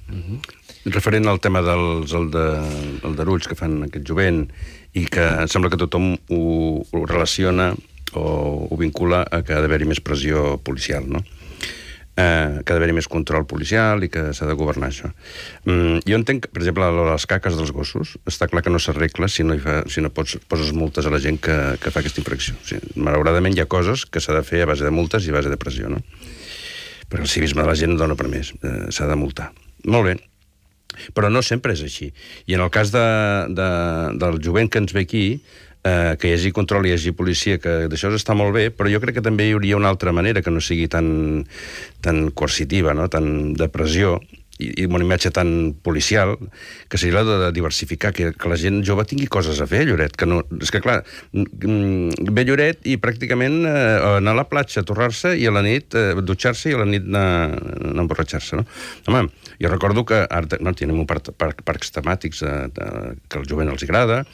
Uh-huh. Referent al tema dels aldarulls que fan aquest jovent i que sembla que tothom ho, ho relaciona o ho vincula a que ha d'haver-hi més pressió policial, no? Eh, que ha d'haver-hi més control policial i que s'ha de governar això. Mm, jo entenc, per exemple, les caques dels gossos, està clar que no s'arregla si no, hi fa, si no pots, poses multes a la gent que, que fa aquesta infracció. O sigui, malauradament hi ha coses que s'ha de fer a base de multes i a base de pressió, no? Perquè el civisme de la gent no dona per més, eh, s'ha de multar. Molt bé. Però no sempre és així. I en el cas de, de, del jovent que ens ve aquí, eh, que hi hagi control i hi hagi policia, que d'això està molt bé, però jo crec que també hi hauria una altra manera que no sigui tan, tan coercitiva, no? Tan de pressió, i, i una imatge tan policial, que seria la de diversificar, que, que la gent jove tingui coses a fer a Lloret. Que no, és que, clar, ve a Lloret i pràcticament eh, anar a la platja, torrar-se, i a la nit eh, dutxar-se i a la nit anar, anar a emborratxar-se, no? Home, jo recordo que ara no, tenim un parc, parc, parcs temàtics eh, de, que al jovent els agrada,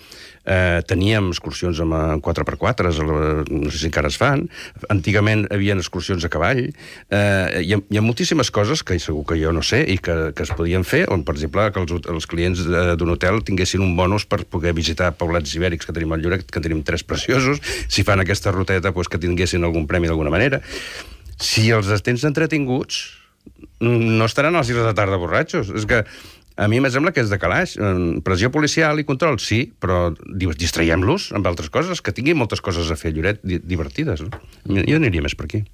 eh, teníem excursions amb quatre per quatre, no sé si encara es fan, antigament hi havia excursions a cavall, eh, hi, ha, hi ha moltíssimes coses que segur que jo no sé i que, que es podien fer, on, per exemple, que els, els clients d'un hotel tinguessin un bonus per poder visitar poblats ibèrics que tenim al Lloret, que tenim tres preciosos, si fan aquesta ruteta, doncs que tinguessin algun premi d'alguna manera. Si els tens entretinguts, no estaran a les sis de la tarda borratxos. És que a mi em sembla que és de calaix. Pressió policial i control, sí, però distraiem-los amb altres coses, que tinguin moltes coses a fer a Lloret divertides. No? Jo aniria més per aquí.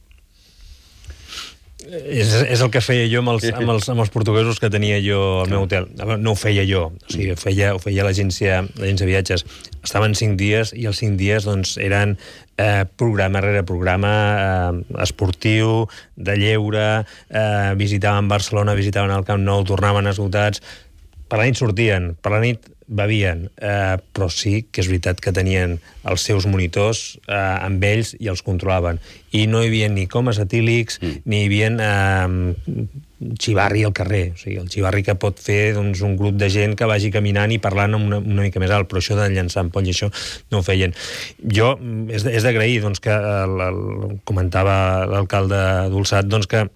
És, és el que feia jo amb els, amb els, amb els portuguesos que tenia jo al meu hotel. No ho feia jo, o sigui, ho feia, ho feia l'agència de viatges. Estaven cinc dies i els cinc dies doncs, eren eh, programa rere programa eh, esportiu, de lleure, eh, visitaven Barcelona, visitaven el Camp Nou, tornaven esgotats. Per la nit sortien, per la nit bevien, eh, però sí que és veritat que tenien els seus monitors eh, amb ells i els controlaven. I no hi havia ni comes etílics, mm. ni hi havia eh, xivarri al carrer. O sigui, el xivarri que pot fer doncs, un grup de gent que vagi caminant i parlant una, una mica més alt, però això de llançar ampoll i això no ho feien. Jo, és, és d'agrair doncs, que el, el, comentava l'alcalde Dolçat, doncs, que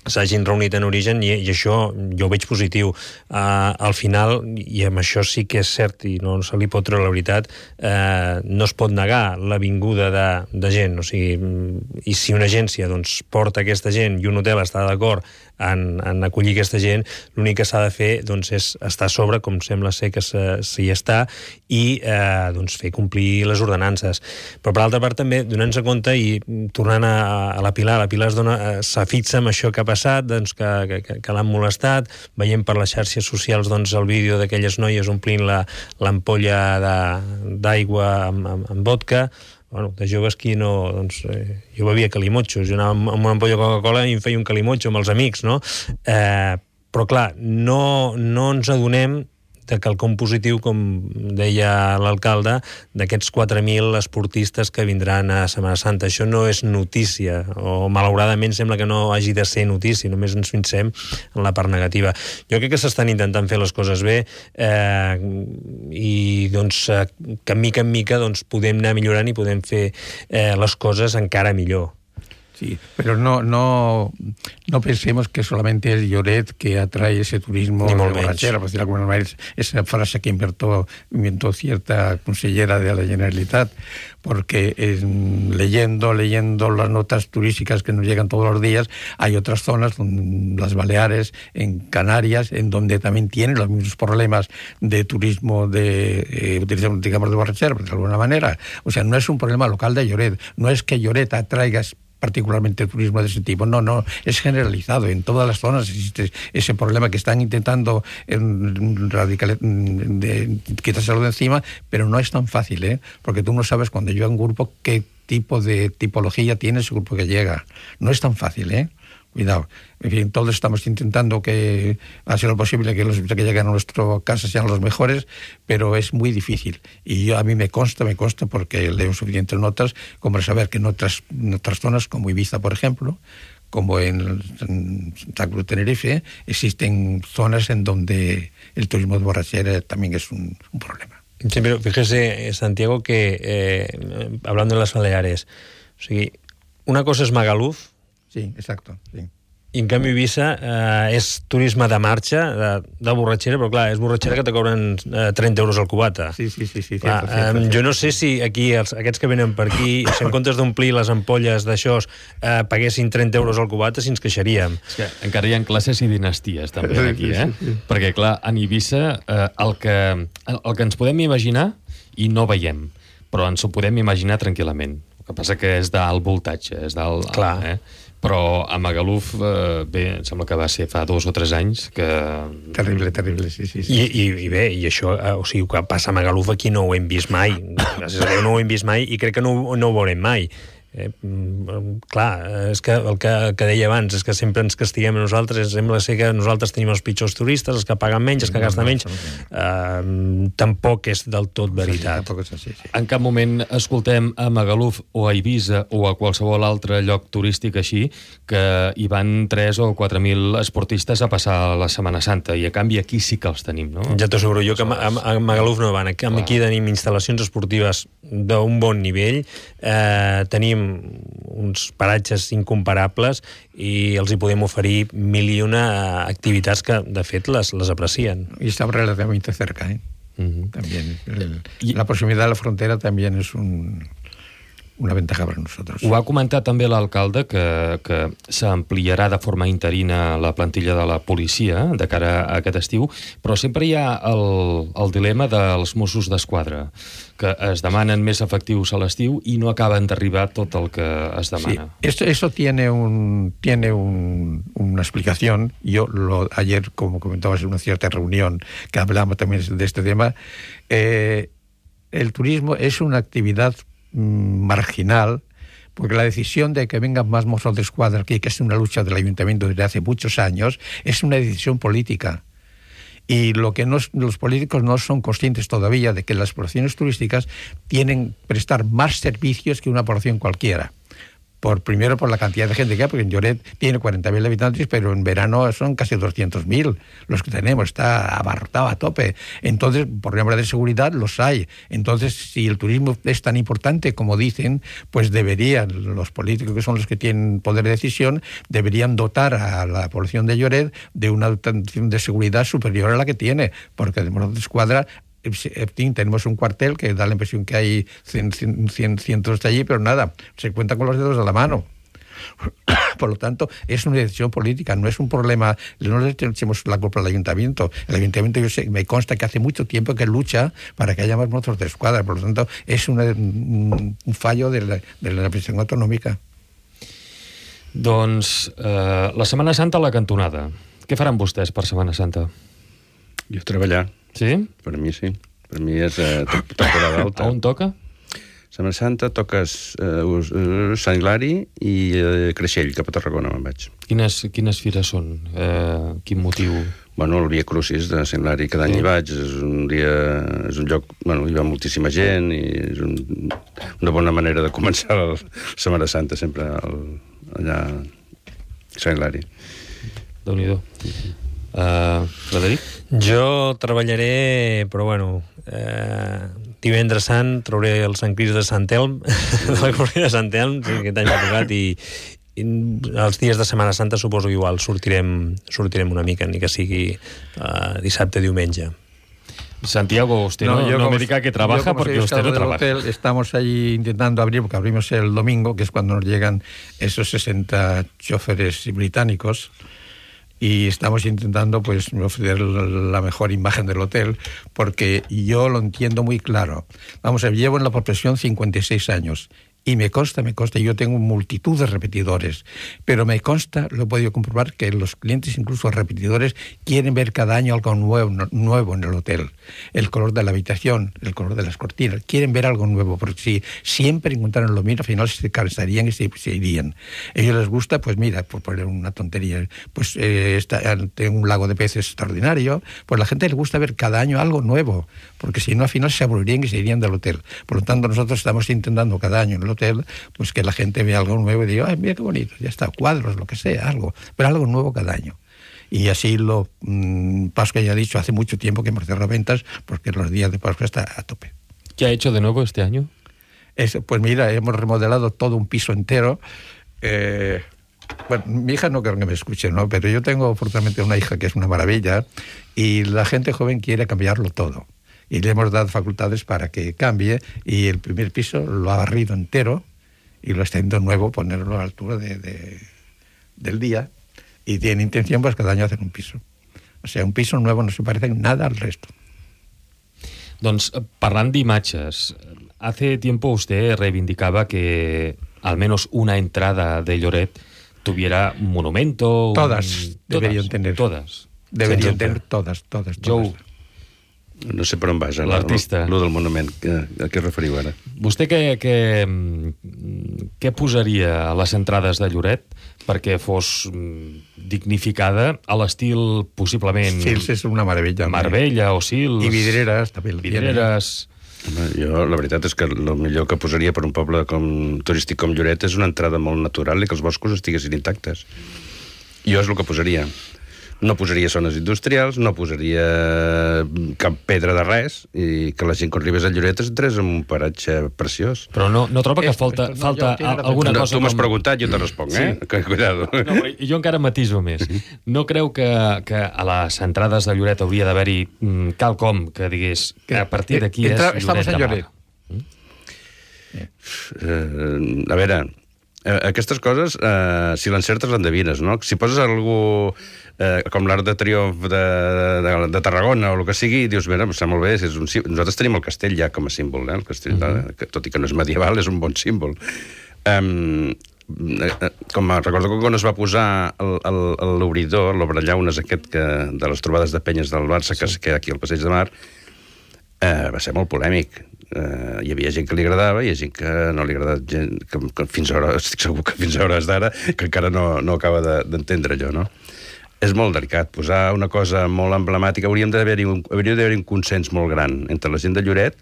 s'hagin reunit en origen i, i això jo ho veig positiu. Uh, al final, i amb això sí que és cert i no se li pot treure la veritat, uh, no es pot negar la vinguda de, de gent, o sigui, i si una agència doncs, porta aquesta gent i un hotel està d'acord en, en acollir aquesta gent, l'únic que s'ha de fer doncs, és estar a sobre, com sembla ser que s'hi està, i eh, doncs, fer complir les ordenances. Però per altra part també, donant-se compte i tornant a, a la Pilar, la Pilar s'afixa amb això que ha passat, doncs, que, que, que l'han molestat, veiem per les xarxes socials doncs, el vídeo d'aquelles noies omplint l'ampolla d'aigua amb, amb, amb vodka. Bueno, de joves qui no... Doncs, eh, jo bevia calimotxos, jo anava amb una ampolla de Coca-Cola i em feia un calimotxo amb els amics, no? Eh, però clar, no, no ens adonem de quelcom positiu, com deia l'alcalde, d'aquests quatre mil esportistes que vindran a Setmana Santa. Això no és notícia, o malauradament sembla que no hagi de ser notícia, només ens fixem en la part negativa. Jo crec que s'estan intentant fer les coses bé eh, i doncs, que mica en mica doncs, podem anar millorant i podem fer eh, les coses encara millor. Sí, pero no, no, no pensemos que solamente es Lloret que atrae ese turismo de borrachera, por decir alguna manera, esa frase que inventó, inventó cierta consellera de la Generalitat, porque eh, leyendo, leyendo las notas turísticas que nos llegan todos los días, hay otras zonas, las Baleares, en Canarias, en donde también tienen los mismos problemas de turismo, de, eh, digamos, de borrachera, de alguna manera. O sea, no es un problema local de Lloret, no es que Lloret atraiga particularmente turismo de ese tipo, no, no, es generalizado, en todas las zonas existe ese problema que están intentando radical, de, quitárselo de encima, pero no es tan fácil, ¿eh? Porque tú no sabes cuando llega un grupo qué tipo de tipología tiene ese grupo que llega, no es tan fácil, ¿eh? Cuidado. En fin, todos estamos intentando que hacer lo posible que los que lleguen a nuestra casa sean los mejores, pero es muy difícil. Y yo, a mí me consta, me consta porque leo suficientes notas como para saber que en otras, en otras zonas, como Ibiza, por ejemplo, como en, en Santa Cruz de Tenerife, existen zonas en donde el turismo de borrachera también es un, un problema. Sí, pero fíjese, Santiago, que eh, hablando de las Baleares, o sigui, una cosa es Magaluf. Sí, exacto, sí. I en canvi Ibiza eh, és turisme de marxa, de, de borratxera, però clar, és borratxera que te cobren eh, trenta euros al cubata. Sí, sí, sí. sí clar, cierto, cierto, eh, cierto. Jo no sé si aquí, els, aquests que venen per aquí, si en comptes d'omplir les ampolles d'això eh, paguessin trenta euros al cubata, si ens queixaríem. És que encara hi ha classes i dinasties, també, aquí, eh? Sí, sí, sí. Perquè, clar, en Ibiza eh, el, que, el que ens podem imaginar i no veiem, però ens ho podem imaginar tranquil·lament. El que passa que és d'alt voltatge, és d'alt... Clar. Eh? Però a Magaluf, eh, bé, em sembla que va ser fa dos o tres anys que... Terrible, terrible, sí, sí. sí. I, i, i bé, i això, eh, o sigui, que passa a Magaluf aquí no ho hem vist mai. Gràcies a Déu no ho hem vist mai i crec que no, no ho veurem mai. Eh, clar, és que el que, que deia abans és que sempre ens castiguem a nosaltres, sembla ser que nosaltres tenim els pitjors turistes, els que paguen menys, els que gasten menys. Eh, tampoc és del tot veritat. Sí, sí, sí, sí. En cap moment escoltem a Magaluf o a Ibiza o a qualsevol altre lloc turístic així que hi van tres o quatre mil esportistes a passar la Setmana Santa i a canvi aquí sí que els tenim, no? Ja t'ho asseguro jo que a, a Magaluf no van. Aquí, aquí tenim instal·lacions esportives d'un bon nivell, eh, tenim uns paratges incomparables i els hi podem oferir mil i una activitats que, de fet, les, les aprecien. Y está relativamente cerca, ¿eh? Uh-huh. También. El, la proximidad a la frontera también es un... una ventaja per a nosaltres. Ho va comentar també l'alcalde que, que s'ampliarà de forma interina la plantilla de la policia de cara a aquest estiu, però sempre hi ha el, el dilema dels Mossos d'Esquadra, que es demanen més efectius a l'estiu i no acaben d'arribar tot el que es demana. Sí, esto, eso tiene, un, tiene un, una explicación. Yo lo, ayer, como comentabas en una cierta reunión que hablamos también de este tema, eh, el turismo es una actividad marginal, porque la decisión de que vengan más Mossos d'Esquadra aquí, que es una lucha del ayuntamiento desde hace muchos años, es una decisión política. Y lo que no, los políticos no son conscientes todavía de que las poblaciones turísticas tienen que prestar más servicios que una población cualquiera. por, primero por la cantidad de gente que hay, porque en Lloret tiene cuarenta mil habitantes, pero en verano son casi doscientos mil los que tenemos, está abarrotado a tope. Entonces, por problemas de seguridad los hay. Entonces, si el turismo es tan importante como dicen, pues deberían, los políticos que son los que tienen poder de decisión, deberían dotar a la población de Lloret de una dotación de seguridad superior a la que tiene, porque de Mossos d'Esquadra tenemos un cuartel que da la impresión que hay cien, cien, cien, cientos de allí, pero nada, se cuenta con los dedos de la mano. Por lo tanto, es una decisión política, no es un problema, no le echemos la culpa al ayuntamiento. El ayuntamiento, yo sé, me consta que hace mucho tiempo que lucha para que haya más Mossos d'Esquadra, por lo tanto, es una, un, un fallo de la, de la administració autonòmica. Doncs eh, la Setmana Santa a la cantonada. Què faran vostès per Setmana Santa? Jo treballar. Sí? Per mi sí. Per mi és eh, temporada alta. A on toca? Setmana Santa toques eh, Sant Hilari i eh, Creixell, cap a Tarragona me'n vaig. Quines, quines fires són? Eh, quin motiu? Bueno, el Via Crucis de Sant Hilari, cada any sí. hi vaig, és un dia, és un lloc, bueno, hi va moltíssima gent i és un, una bona manera de començar la Setmana Santa, sempre el, allà a Sant Hilari. Déu-n'hi-do. Uh, Frederic? Jo treballaré, però bueno, eh, divendres sant trauré el Sant Crist de Sant Elm, la Corrida de Sant Elm, sí, aquest any m'ha tocat, i, i els dies de Setmana Santa suposo que igual sortirem, sortirem una mica, ni que sigui eh, dissabte, diumenge. Santiago, usted no, no, no me diga que trabaja porque usted no trabaja. Hotel, estamos allí intentando abrir, porque abrimos el domingo, que es cuando nos llegan esos sesenta choferes británicos, y estamos intentando pues ofrecer la mejor imagen del hotel, porque yo lo entiendo muy claro. Vamos a ver, llevo en la profesión cincuenta y seis años, y me consta, me consta, yo tengo multitud de repetidores, pero me consta, lo he podido comprobar, que los clientes, incluso repetidores, quieren ver cada año algo nuevo, nuevo en el hotel. El color de la habitación, el color de las cortinas, quieren ver algo nuevo, porque si siempre encontraran lo mismo, al final se cansarían y se, se irían. A ellos les gusta, pues mira, por poner una tontería, pues eh, está, tengo un lago de peces extraordinario, pues a la gente le gusta ver cada año algo nuevo, porque si no, al final se aburrirían y se irían del hotel. Por lo tanto, nosotros estamos intentando cada año en el hotel, pues que la gente vea algo nuevo y diga, ay, mira qué bonito, ya está, cuadros, lo que sea, algo, pero algo nuevo cada año. Y así lo, mmm, Pascua ya he dicho, hace mucho tiempo que hemos cerrado ventas, porque los días de Pascua está a tope. ¿Qué ha hecho de nuevo este año? Es, pues mira, hemos remodelado todo un piso entero. Eh, bueno, mi hija no creo que me escuche, ¿no? Pero yo tengo afortunadamente una hija que es una maravilla, y la gente joven quiere cambiarlo todo. Y le hemos dado facultades para que cambie, y el primer piso lo ha barrido entero y lo está haciendo nuevo, ponerlo a la altura de, de, del día, y tiene intención pues cada año hacer un piso. O sea, un piso nuevo no se parece en nada al resto. Doncs, parlant d'imatges, hace tiempo usted reivindicaba que al menos una entrada de Lloret tuviera un monumento. Todas un... deberían todas, tener. Todas. Deberían tener todas, todas, todas. Joe. No sé per on vas, l'artista. Lo del monument, que, a què referiu ara? Vostè què, què, què posaria a les entrades de Lloret perquè fos dignificada a l'estil possiblement... Sils és una meravella. Marbella o Sils. I Vidreres, també. Vidreres. Home, jo, la veritat és que el millor que posaria per un poble com, turístic com Lloret és una entrada molt natural i que els boscos estiguessin intactes. Jo és el que posaria. No posaria zones industrials, no posaria cap pedra de res, i que la gent quan arribés a Lloret es entrés en un paratge preciós. Però no, no troba que es, falta, no, falta no, alguna no, cosa... Tu m'has com... preguntat, jo te responc, sí. eh? Que, cuidado. No, jo encara matiso més. No creu que, que a les entrades de Lloret hauria d'haver-hi mm, quelcom que digués que a partir d'aquí és Lloret de Mar? Mm? Uh, a veure... Aquestes coses, eh, si l'encertes, l'endevines, no? Si poses algú eh, com l'Arc de Triomf de, de, de Tarragona o el que sigui, dius, mira, està molt bé, és un, nosaltres tenim el castell ja com a símbol, eh? El castell, mm-hmm. que, tot i que no és medieval, és un bon símbol. Um, com recordo que quan es va posar l'obridor, l'obrellaunes aquest que, de les trobades de penyes del Barça, que es queda aquí al Passeig de Mar, eh, va ser molt polèmic. Uh, hi havia gent que li agradava i hi ha gent que no li agrada, gent que, que fins a hores, estic segur que fins a hores d'ara que encara no, no acaba d'entendre allò, no? És molt delicat, posar una cosa molt emblemàtica, hauríem d'haver-hi un, hauria d'haver-hi un consens molt gran entre la gent de Lloret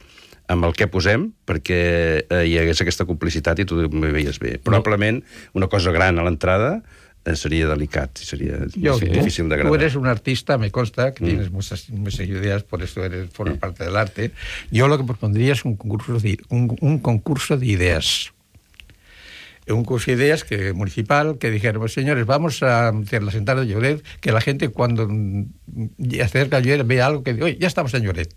amb el que posem perquè eh, hi hagués aquesta complicitat i tu m'hi veies bé. Probablement una cosa gran a l'entrada eh, seria delicat, sería Yo, difícil de agradar. Tú eres un artista, me consta, que mm. tienes muchas, muchas ideas, por eso eres, formas mm. parte del arte. Yo lo que propondría es un concurso de, un, un concurso de ideas. Un curso de ideas que, municipal que dijéramos, señores, vamos a hacer las entradas de Lloret, que la gente cuando acerca a Lloret vea algo que diga, oye, ya estamos en Lloret.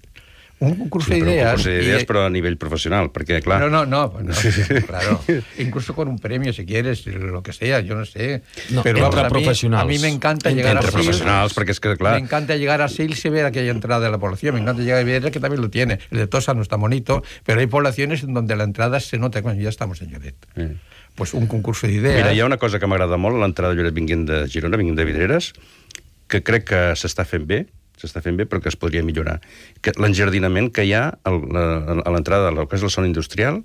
Un concurso sí, de ideas. Un concurso de ideas, y... pero a nivel profesional, porque, claro... No, no, no, no sí, claro. Incluso con un premio, si quieres, lo que sea, yo no sé. No, pero entre vamos, professionals. A mí, a mí me encanta entre llegar entre a Sils. professionals, perquè és que, clar... Me encanta llegar a Sils y ver aquella entrada de la población. Me encanta llegar a ver que también lo tiene. El de Tossa no está bonito, pero hay poblaciones en donde la entrada se nota, bueno, ya estamos en Lloret. Sí. Pues un concurso d'idees. Mira, hi ha una cosa que m'agrada molt a l'entrada de Lloret vinguent de Girona, vinguent de Vidreres, que crec que s'està fent bé, s'està fent bé, però que es podria millorar. Que l'enjardinament que hi ha a l'entrada del que és la zona industrial,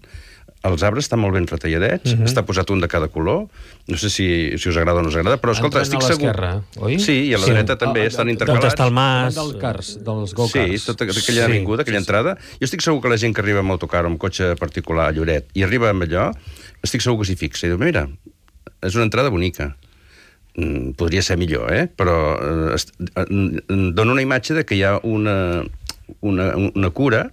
els arbres estan molt ben retalladets, uh -huh. està posat un de cada color, no sé si, si us agrada o no us agrada, però escolta, estic segur... A l'esquerra, oi? Sí, i a la sí. dreta també, estan intercalats. On està el mas... Del cars, dels go-karts. Sí, tota aquella sí, avinguda, aquella sí, entrada. Jo estic segur que la gent que arriba amb autocar o amb cotxe particular a Lloret i arriba amb allò, estic segur que s'hi fixa. I diu, mira, és una entrada bonica. Mm, podria ser millor, eh? Però eh, dona una imatge de que hi ha una, una, una cura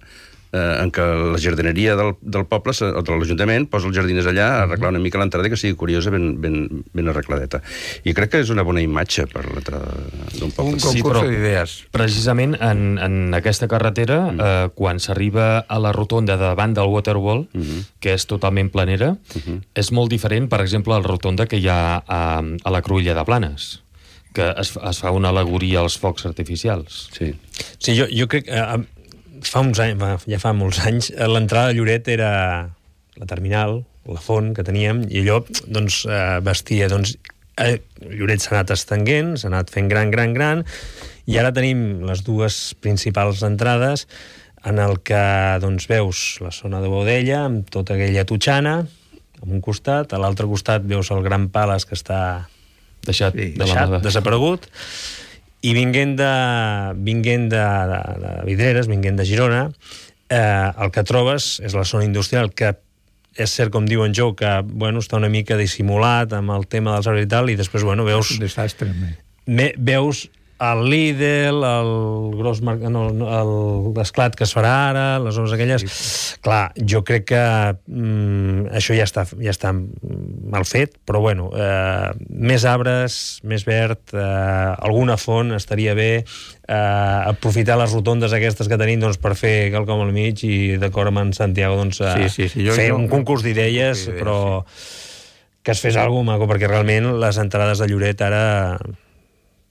eh, en què la jardineria del, del poble o de l'Ajuntament posa els jardiners allà a arreglar una mica l'entrada i que sigui curiosa, ben, ben, ben arregladeta. I crec que és una bona imatge per l'entrada d'un poble. Un concurs sí, d'idees. Precisament en, en aquesta carretera, mm. eh, quan s'arriba a la rotonda de davant del Waterwall, mm -hmm. que és totalment planera, mm -hmm. és molt diferent, per exemple, a la rotonda que hi ha a, a la Cruïlla de Planes, que es, es fa una al·legoria als focs artificials. Sí, sí jo, jo crec... Eh, Fa uns anys, ja fa molts anys, l'entrada de Lloret era la terminal, la font que teníem, i allò doncs, eh, vestia... Doncs, eh, Lloret s'ha anat estenguent, s'ha anat fent gran, gran, gran, i ara tenim les dues principals entrades en el que doncs, veus la zona de Bodella, amb tota aquella totxana, a un costat, a l'altre costat veus el Gran Palace que està deixat, sí, deixat de desaparegut, i vinguent de, vinguent de, de, de Vidreres, vinguent de Girona, eh, el que trobes és la zona industrial, que és cert, com diu en Jou, que bueno, està una mica dissimulat amb el tema dels arbres i tal, i després bueno, veus... Un desastre. Me, veus el Lidl, el gros no, l'esclat que es farà ara, les obres aquelles... Sí. Clar, jo crec que mm, això ja està, ja està mal fet, però bueno, eh, més arbres, més verd, eh, alguna font estaria bé, eh, aprofitar les rotondes aquestes que tenim doncs, per fer quelcom al mig i d'acord amb en Santiago doncs, eh, sí, sí, sí, jo, fer jo, un concurs d'idees, sí, però sí. que es fes alguna cosa, perquè realment les entrades de Lloret ara...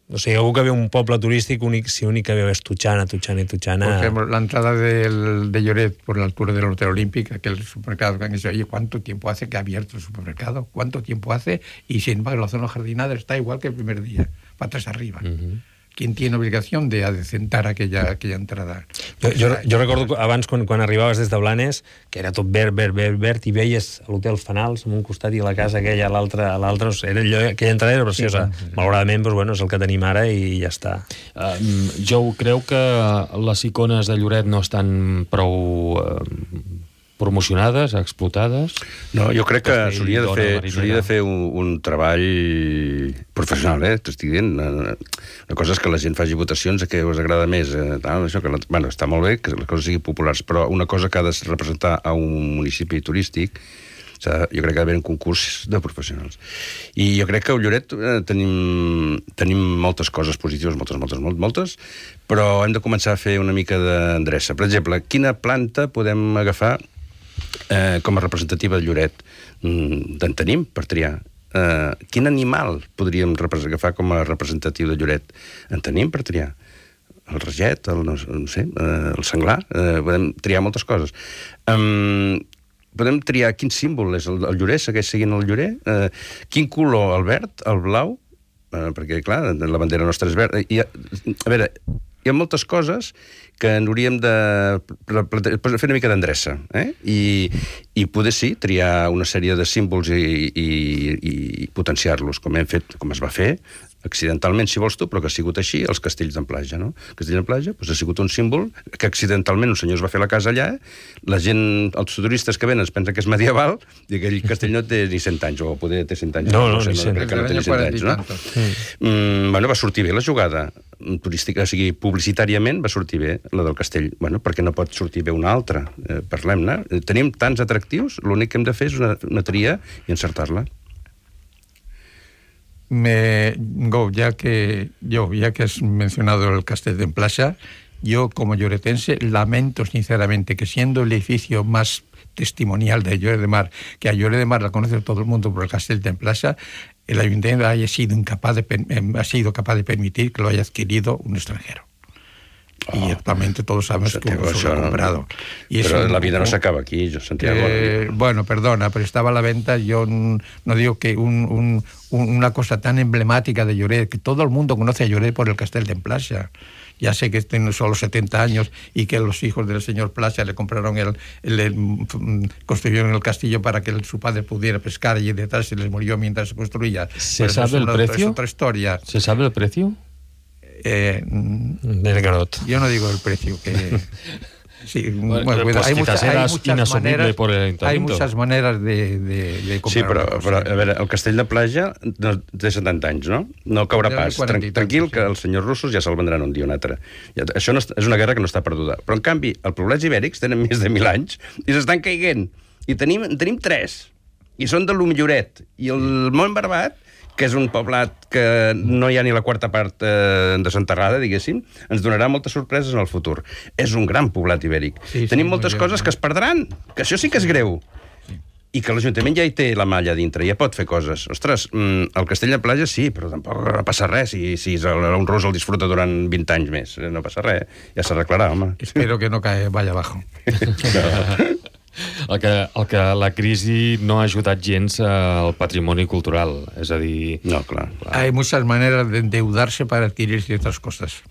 O sigui, algú que ve un poble turístic, únic, si únic que veu és Totxana, Totxana y Totxana... Por ejemplo, la entrada del, de Lloret por la altura del Hotel Olímpic, aquel supermercado que han dicho, oye, ¿cuánto tiempo hace que ha abierto el supermercado? ¿Cuánto tiempo hace? Y sin embargo, la zona jardinada está igual que el primer día, patas arriba. Uh-huh. ¿Quién tiene obligación de adecentar aquella, aquella entrada? Jo, jo, jo recordo abans, quan, quan arribaves des de Blanes, que era tot verd, verd, verd, verd, i veies l'hotel Fanals en un costat i la casa aquella a l'altre, a l'altre, era allò, aquella entrada era preciosa. Sí, sí, sí. Malauradament, doncs, bueno, és el que tenim ara i ja està. Um, jo creu que les icones de Lloret no estan prou... Uh, promocionades, explotades? No, jo crec que s'hauria de fer, s'hauria de fer un, un treball professional, eh? T'estic dient. Una cosa és que la gent faci votacions a què us agrada més. Eh? Tal, això que, bueno, està molt bé que les coses siguin populars, però una cosa que ha de representar a un municipi turístic, jo crec que ha d'haver un concurs de professionals. I jo crec que a Lloret eh, tenim, tenim moltes coses positives, moltes, moltes, moltes, moltes, però hem de començar a fer una mica d'endreça. Per exemple, quina planta podem agafar Eh, com a representativa de Lloret? Mm, en tenim per triar. Eh, quin animal podríem agafar com a representatiu de Lloret? En tenim per triar. El reget, el, no, no sé, eh, el senglar, eh, podem triar moltes coses. Um, podem triar quin símbol és el, el llorer, segueix seguint el llorer, eh, quin color, el verd, el blau, eh, perquè, clar, la bandera nostra és verda. I, a veure, hi ha moltes coses que hauríem de fer una mica d'endreça, eh? I, i poder sí, triar una sèrie de símbols i, i, i potenciar-los, com hem fet, com es va fer, accidentalment, si vols tu, però que ha sigut així, els castells d'Amplaja, no? Castell d'Amplaja doncs, ha sigut un símbol que accidentalment un senyor es va fer la casa allà, la gent, els turistes que venen es pensen que és medieval, i aquell castell no té ni cent anys, o poder té cent anys. No, no, no, sé, ni cent. No, crec que no té ni cent anys, no? Mm, bueno, va sortir bé la jugada turística, o sigui, publicitàriament va sortir bé la del castell. Bueno, perquè no pot sortir bé una altra? Eh, Parlem-ne. Tenim tants atractius, l'únic que hem de fer és una, una tria i encertar-la. Me, Go, ya que yo, ya que has mencionado el Castell d'Amplaja, yo como lloretense lamento sinceramente que siendo el edificio más testimonial de Lloret de Mar, que a Lloret de Mar la conoce todo el mundo por el Castell d'Amplaja, el ayuntamiento haya sido incapaz de, ha sido capaz de permitir que lo haya adquirido un extranjero. Y actualmente todos sabemos que Santiago, se lo ha comprado. Y pero eso, la vida no se acaba aquí, yo, Santiago. Eh, bueno, perdona, pero estaba a la venta. Yo no digo que un, un, una cosa tan emblemática de Lloret, que todo el mundo conoce a Lloret por el Castell d'Amplaja. Ya sé que tiene solo setenta años y que los hijos del señor Plaza le compraron el, el, el construyeron el castillo para que el, su padre pudiera pescar y detrás se les murió mientras se construía. ¿Se Pero sabe el una, precio? Es otra historia. ¿Se sabe el precio? Eh, Del Garot. Yo no digo el precio, que... Sí, bueno, bueno, pues hay, quizás mucha, hay, eras muchas inasumible maneras, por el hay ayuntamiento. muchas maneras de, de, de comprar. Sí, però, una cosa. però a veure, el Castell de Plaja no, té setanta anys, no? No caurà Del pas. quaranta Tran i tant, tranquil, sí. que els senyors russos ja se'l vendran un dia o un altre. Ja, això no, és una guerra que no està perduda. Però, en canvi, els poblets ibèrics tenen més de mil anys i s'estan caiguent. I tenim, tenim tres. I són de l'Humilloret. I el Mont Barbat, que és un poblat que no hi ha ni la quarta part eh, desenterrada, diguéssim, ens donarà moltes sorpreses en el futur. És un gran poblat ibèric. Sí, sí, Tenim moltes bé, coses que es perdran, que això sí que és greu. Sí. I que l'Ajuntament ja hi té la malla dintre, ja pot fer coses. Ostres, mm, el Castell de Plaja sí, però tampoc passa res si, si un rus el disfruta durant vint anys més. No passa res, ja s'arreglarà, home. Espero que no cae, vaya abajo. No. El que, el que la crisi no ha ajudat gens al patrimoni cultural, és a dir... No, clar. Hay muchas maneras de endeudarse para adquirir ciertas cosas.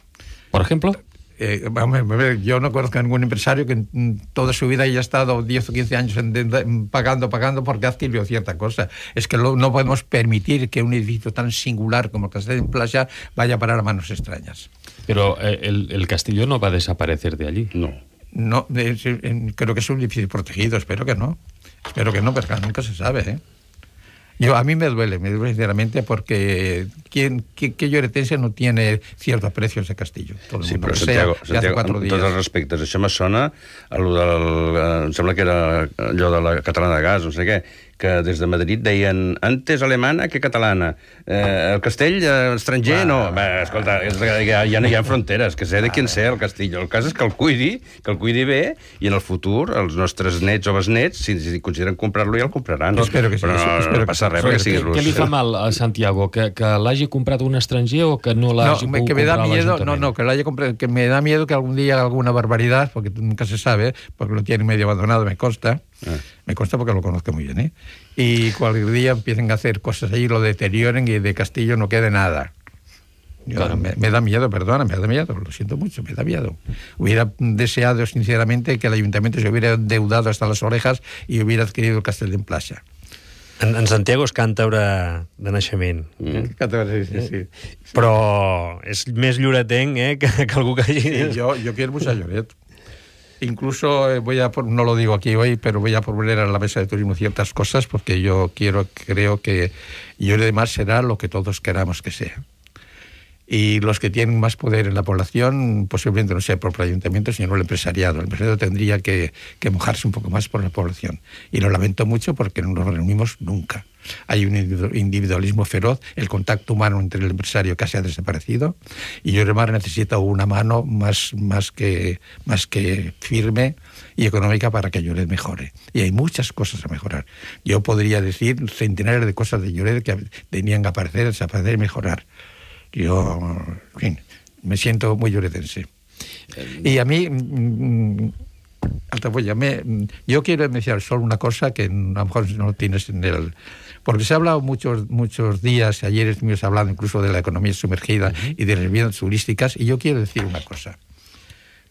Por ejemplo... Eh, vamos a ver, yo no conozco a ningún empresario que en toda su vida haya estado diez o quince años en deuda, pagando, pagando porque ha adquirido cierta cosa. Es que lo, no podemos permitir que un edificio tan singular como el Castell d'Amplaja vaya a parar a manos extrañas. Pero eh, el, el castillo no va a desaparecer de allí. No. No, es, en, creo que es un edificio protegido, espero que no. Espero que no, pero nunca se sabe, ¿eh? Yo, a mí me duele, me duele sinceramente, porque ¿quién, qué, qué lloretense no tiene cierto aprecio a ese castillo? Todo el Sí, mundo però lo Santiago, sea, ya hace Santiago cuatro amb días. tots els respectes, això me sona a lo del... Em sembla que era allò de la catalana de gas, no sé què, que des de Madrid deien antes alemana que catalana. Eh, el castell eh, estranger, va, no. Va, escolta, és, ja, ja no hi ha fronteres, que sé de quin sé el castell. El cas és que el cuidi, que el cuidi bé, i en el futur els nostres nets o besnets, si, si consideren comprar-lo, ja el compraran. Espero que sí. Però no, espero no passa res, que, perquè sigui Què, rus. què li fa mal a Santiago? Que, que l'hagi comprat un estranger o que no l'hagi No, pogut que me da comprar miedo, l'Ajuntament? no, no, que lo haya comprado, que me da miedo que algún día haga alguna barbaridad, porque nunca se sabe, porque lo tiene medio abandonado, me consta, Ah. me consta porque lo conozco muy bien, ¿eh? Y cualquier día empiecen a hacer cosas allí, lo deterioren y de Castillo no quede nada. Yo, Claro. me, me da miedo, perdona, me da miedo, lo siento mucho, me da miedo. Hubiera deseado sinceramente que el ayuntamiento se hubiera endeudado hasta las orejas y hubiera adquirido el Castell d'Amplaja. En, en Santiago és càntabre de naixement. Mm. Sí, sí, sí. Però és més lloretenc eh, que, que algú que hagi... Sí, yo, yo quiero mucho a Lloret. Incluso eh, voy a, no lo digo aquí hoy, pero voy a proponer a la mesa de turismo ciertas cosas porque yo quiero, creo que Lloret de Mar será lo que todos queramos que sea. Y los que tienen más poder en la población, posiblemente no sea el propio ayuntamiento, sino el empresariado. El empresariado tendría que, que mojarse un poco más por la población. Y lo lamento mucho porque no nos reunimos nunca. Hay un individualismo feroz, el contacto humano entre el empresario casi ha desaparecido, y Lloret de Mar necesita una mano más, más, que, más que firme y económica para que Lloret mejore. Y hay muchas cosas a mejorar. Yo podría decir centenares de cosas de Lloret que tenían que aparecer, desaparecer y mejorar. Yo, en fin, me siento muy lloretense. Y a mí... Mm, Altafulla, me, yo quiero mencionar solo una cosa que a lo mejor no tienes en el... Porque se ha hablado muchos, muchos días, ayer estuvimos hablando incluso de la economía sumergida uh-huh. y de las viviendas turísticas, y yo quiero decir una cosa.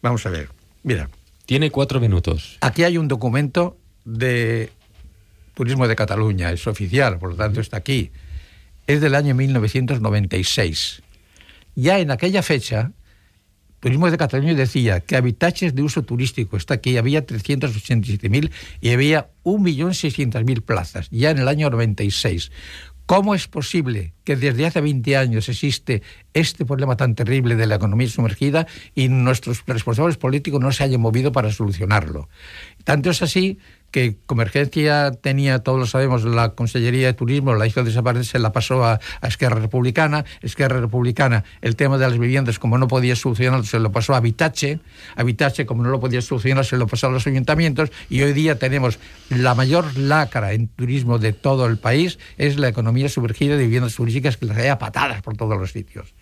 Vamos a ver, mira. Tiene cuatro minutos. Aquí hay un documento de Turismo de Cataluña, es oficial, por lo tanto está aquí. Es del año mil novecientos noventa y seis. Ya en aquella fecha, Turismo de Cataluña decía que habitatges de uso turístico, está aquí, había trescientos ochenta y siete mil y había un millón seiscientos mil plazas, ya en el año noventa y seis. ¿Cómo es posible que desde hace veinte años existe este problema tan terrible de la economía sumergida y nuestros responsables políticos no se hayan movido para solucionarlo? Tanto es así que Convergencia tenía, todos lo sabemos, la Consellería de Turismo, la hizo desaparecer, se la pasó a, a Esquerra Republicana. Esquerra Republicana, el tema de las viviendas, como no podía solucionarlo, se lo pasó a Habitatge. Habitatge, como no lo podía solucionar, se lo pasó a los ayuntamientos. Y hoy día tenemos la mayor lacra en turismo de todo el país, es la economía sumergida de viviendas turísticas que las hay a patadas por todos los sitios.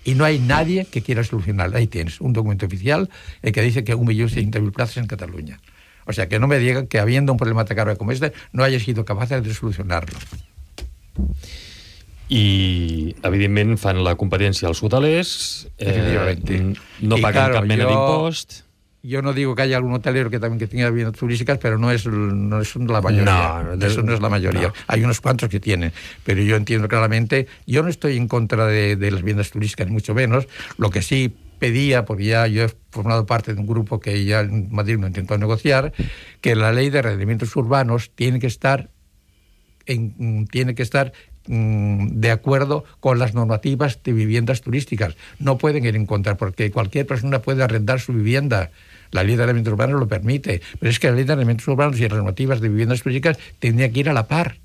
Y no hay nadie que quiera solucionarlo. Ahí tienes un documento oficial eh, que dice que un millón seiscientos mil plazas en Cataluña. O sea, que no me digan que habiendo un problema tan grave como este, no haya sido capaces de solucionarlo. I, evidentment, fan la competència als hotelers, eh, no y paguen claro, cap mena yo, d'impost. Yo no digo que haya algún hotelero que también que tenga viviendas turísticas, pero no es, no es la mayoría. No, de, Eso no es la mayoría. No. Hay unos cuantos que tienen, pero yo entiendo claramente, yo no estoy en contra de, de las viviendas turísticas, ni mucho menos. Lo que sí pedía, porque ya yo he formado parte de un grupo que ya en Madrid lo intentó negociar, que la ley de arrendamientos urbanos tiene que estar en, tiene que estar mm, de acuerdo con las normativas de viviendas turísticas. No pueden ir en contra, porque cualquier persona puede arrendar su vivienda. La ley de arrendamientos urbanos lo permite, pero es que la ley de arrendamientos urbanos y las normativas de viviendas turísticas tendrían que ir a la par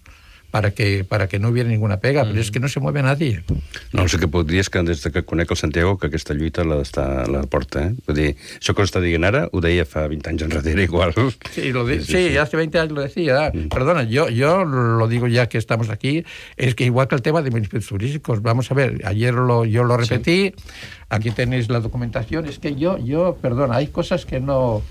para que, para que no hubiera ninguna pega, mm. però és que no se mueve nadie. No, el que puc dir és que des que conec el Santiago que aquesta lluita la, està, la porta, eh? Vull dir, això que està dient ara ho deia fa veinte anys enrere igual. Sí, lo di sí, sí, sí, hace veinte años lo decía. Mm. Perdona, yo, yo lo digo ya que estamos aquí, es que igual que el tema de municipios turísticos, vamos a ver, ayer lo, yo lo repetí, sí. Aquí tenéis la documentación, es que yo, yo, perdona, hay cosas que no...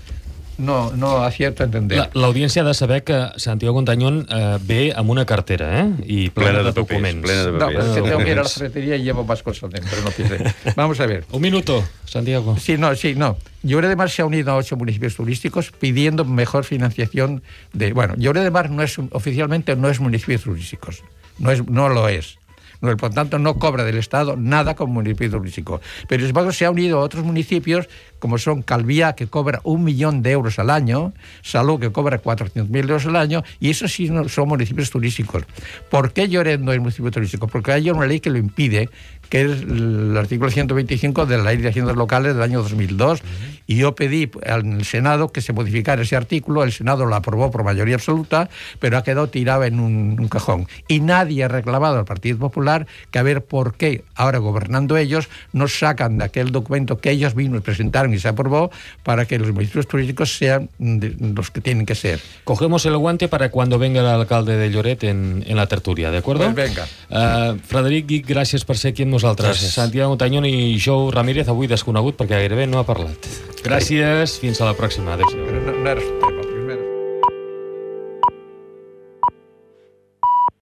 No, no acierto a entender. L'audiència ha de saber que Santiago Contañón eh, ve amb una cartera, eh? I plena, plena de, de documents. Plena de papers. No, es que tengo que ir a la ferretería y llevo más cosas dentro, no piense. Vamos a ver. Un minuto, Santiago. Sí, no, sí, no. Lloret de Mar se ha unido a ocho municipios turísticos pidiendo mejor financiación de... Bueno, Lloret de Mar no es, oficialmente no es municipio turístico. No, es, no lo es. No, por tanto, no cobra del Estado nada como municipio turístico. Pero sin embargo se ha unido a otros municipios, como son Calviá, que cobra un millón de euros al año, Salou, que cobra cuatrocientos mil euros al año, y esos sí no son municipios turísticos. ¿Por qué Lloret no es municipio turístico? Porque hay una ley que lo impide, que es el artículo ciento veinticinco de la Ley de Haciendas Locales del año dos mil dos, uh-huh. y yo pedí al Senado que se modificara ese artículo, el Senado lo aprobó por mayoría absoluta, pero ha quedado tirado en un, un cajón. Y nadie ha reclamado al Partido Popular que a ver por qué, ahora gobernando ellos, no sacan de aquel documento que ellos mismos presentaron y se aprobó para que los municipios turísticos sean de, los que tienen que ser. Cogemos el guante para cuando venga el alcalde de Lloret en, en la tertulia, ¿de acuerdo? Pues venga. Uh, Frederic Guich, gràcies per ser aquí amb nosaltres. Gràcies. Santiago Contañón i Jou Ramírez, avui desconegut perquè gairebé no ha parlat. Gràcies, fins a la pròxima. Adéu-siau. No, no era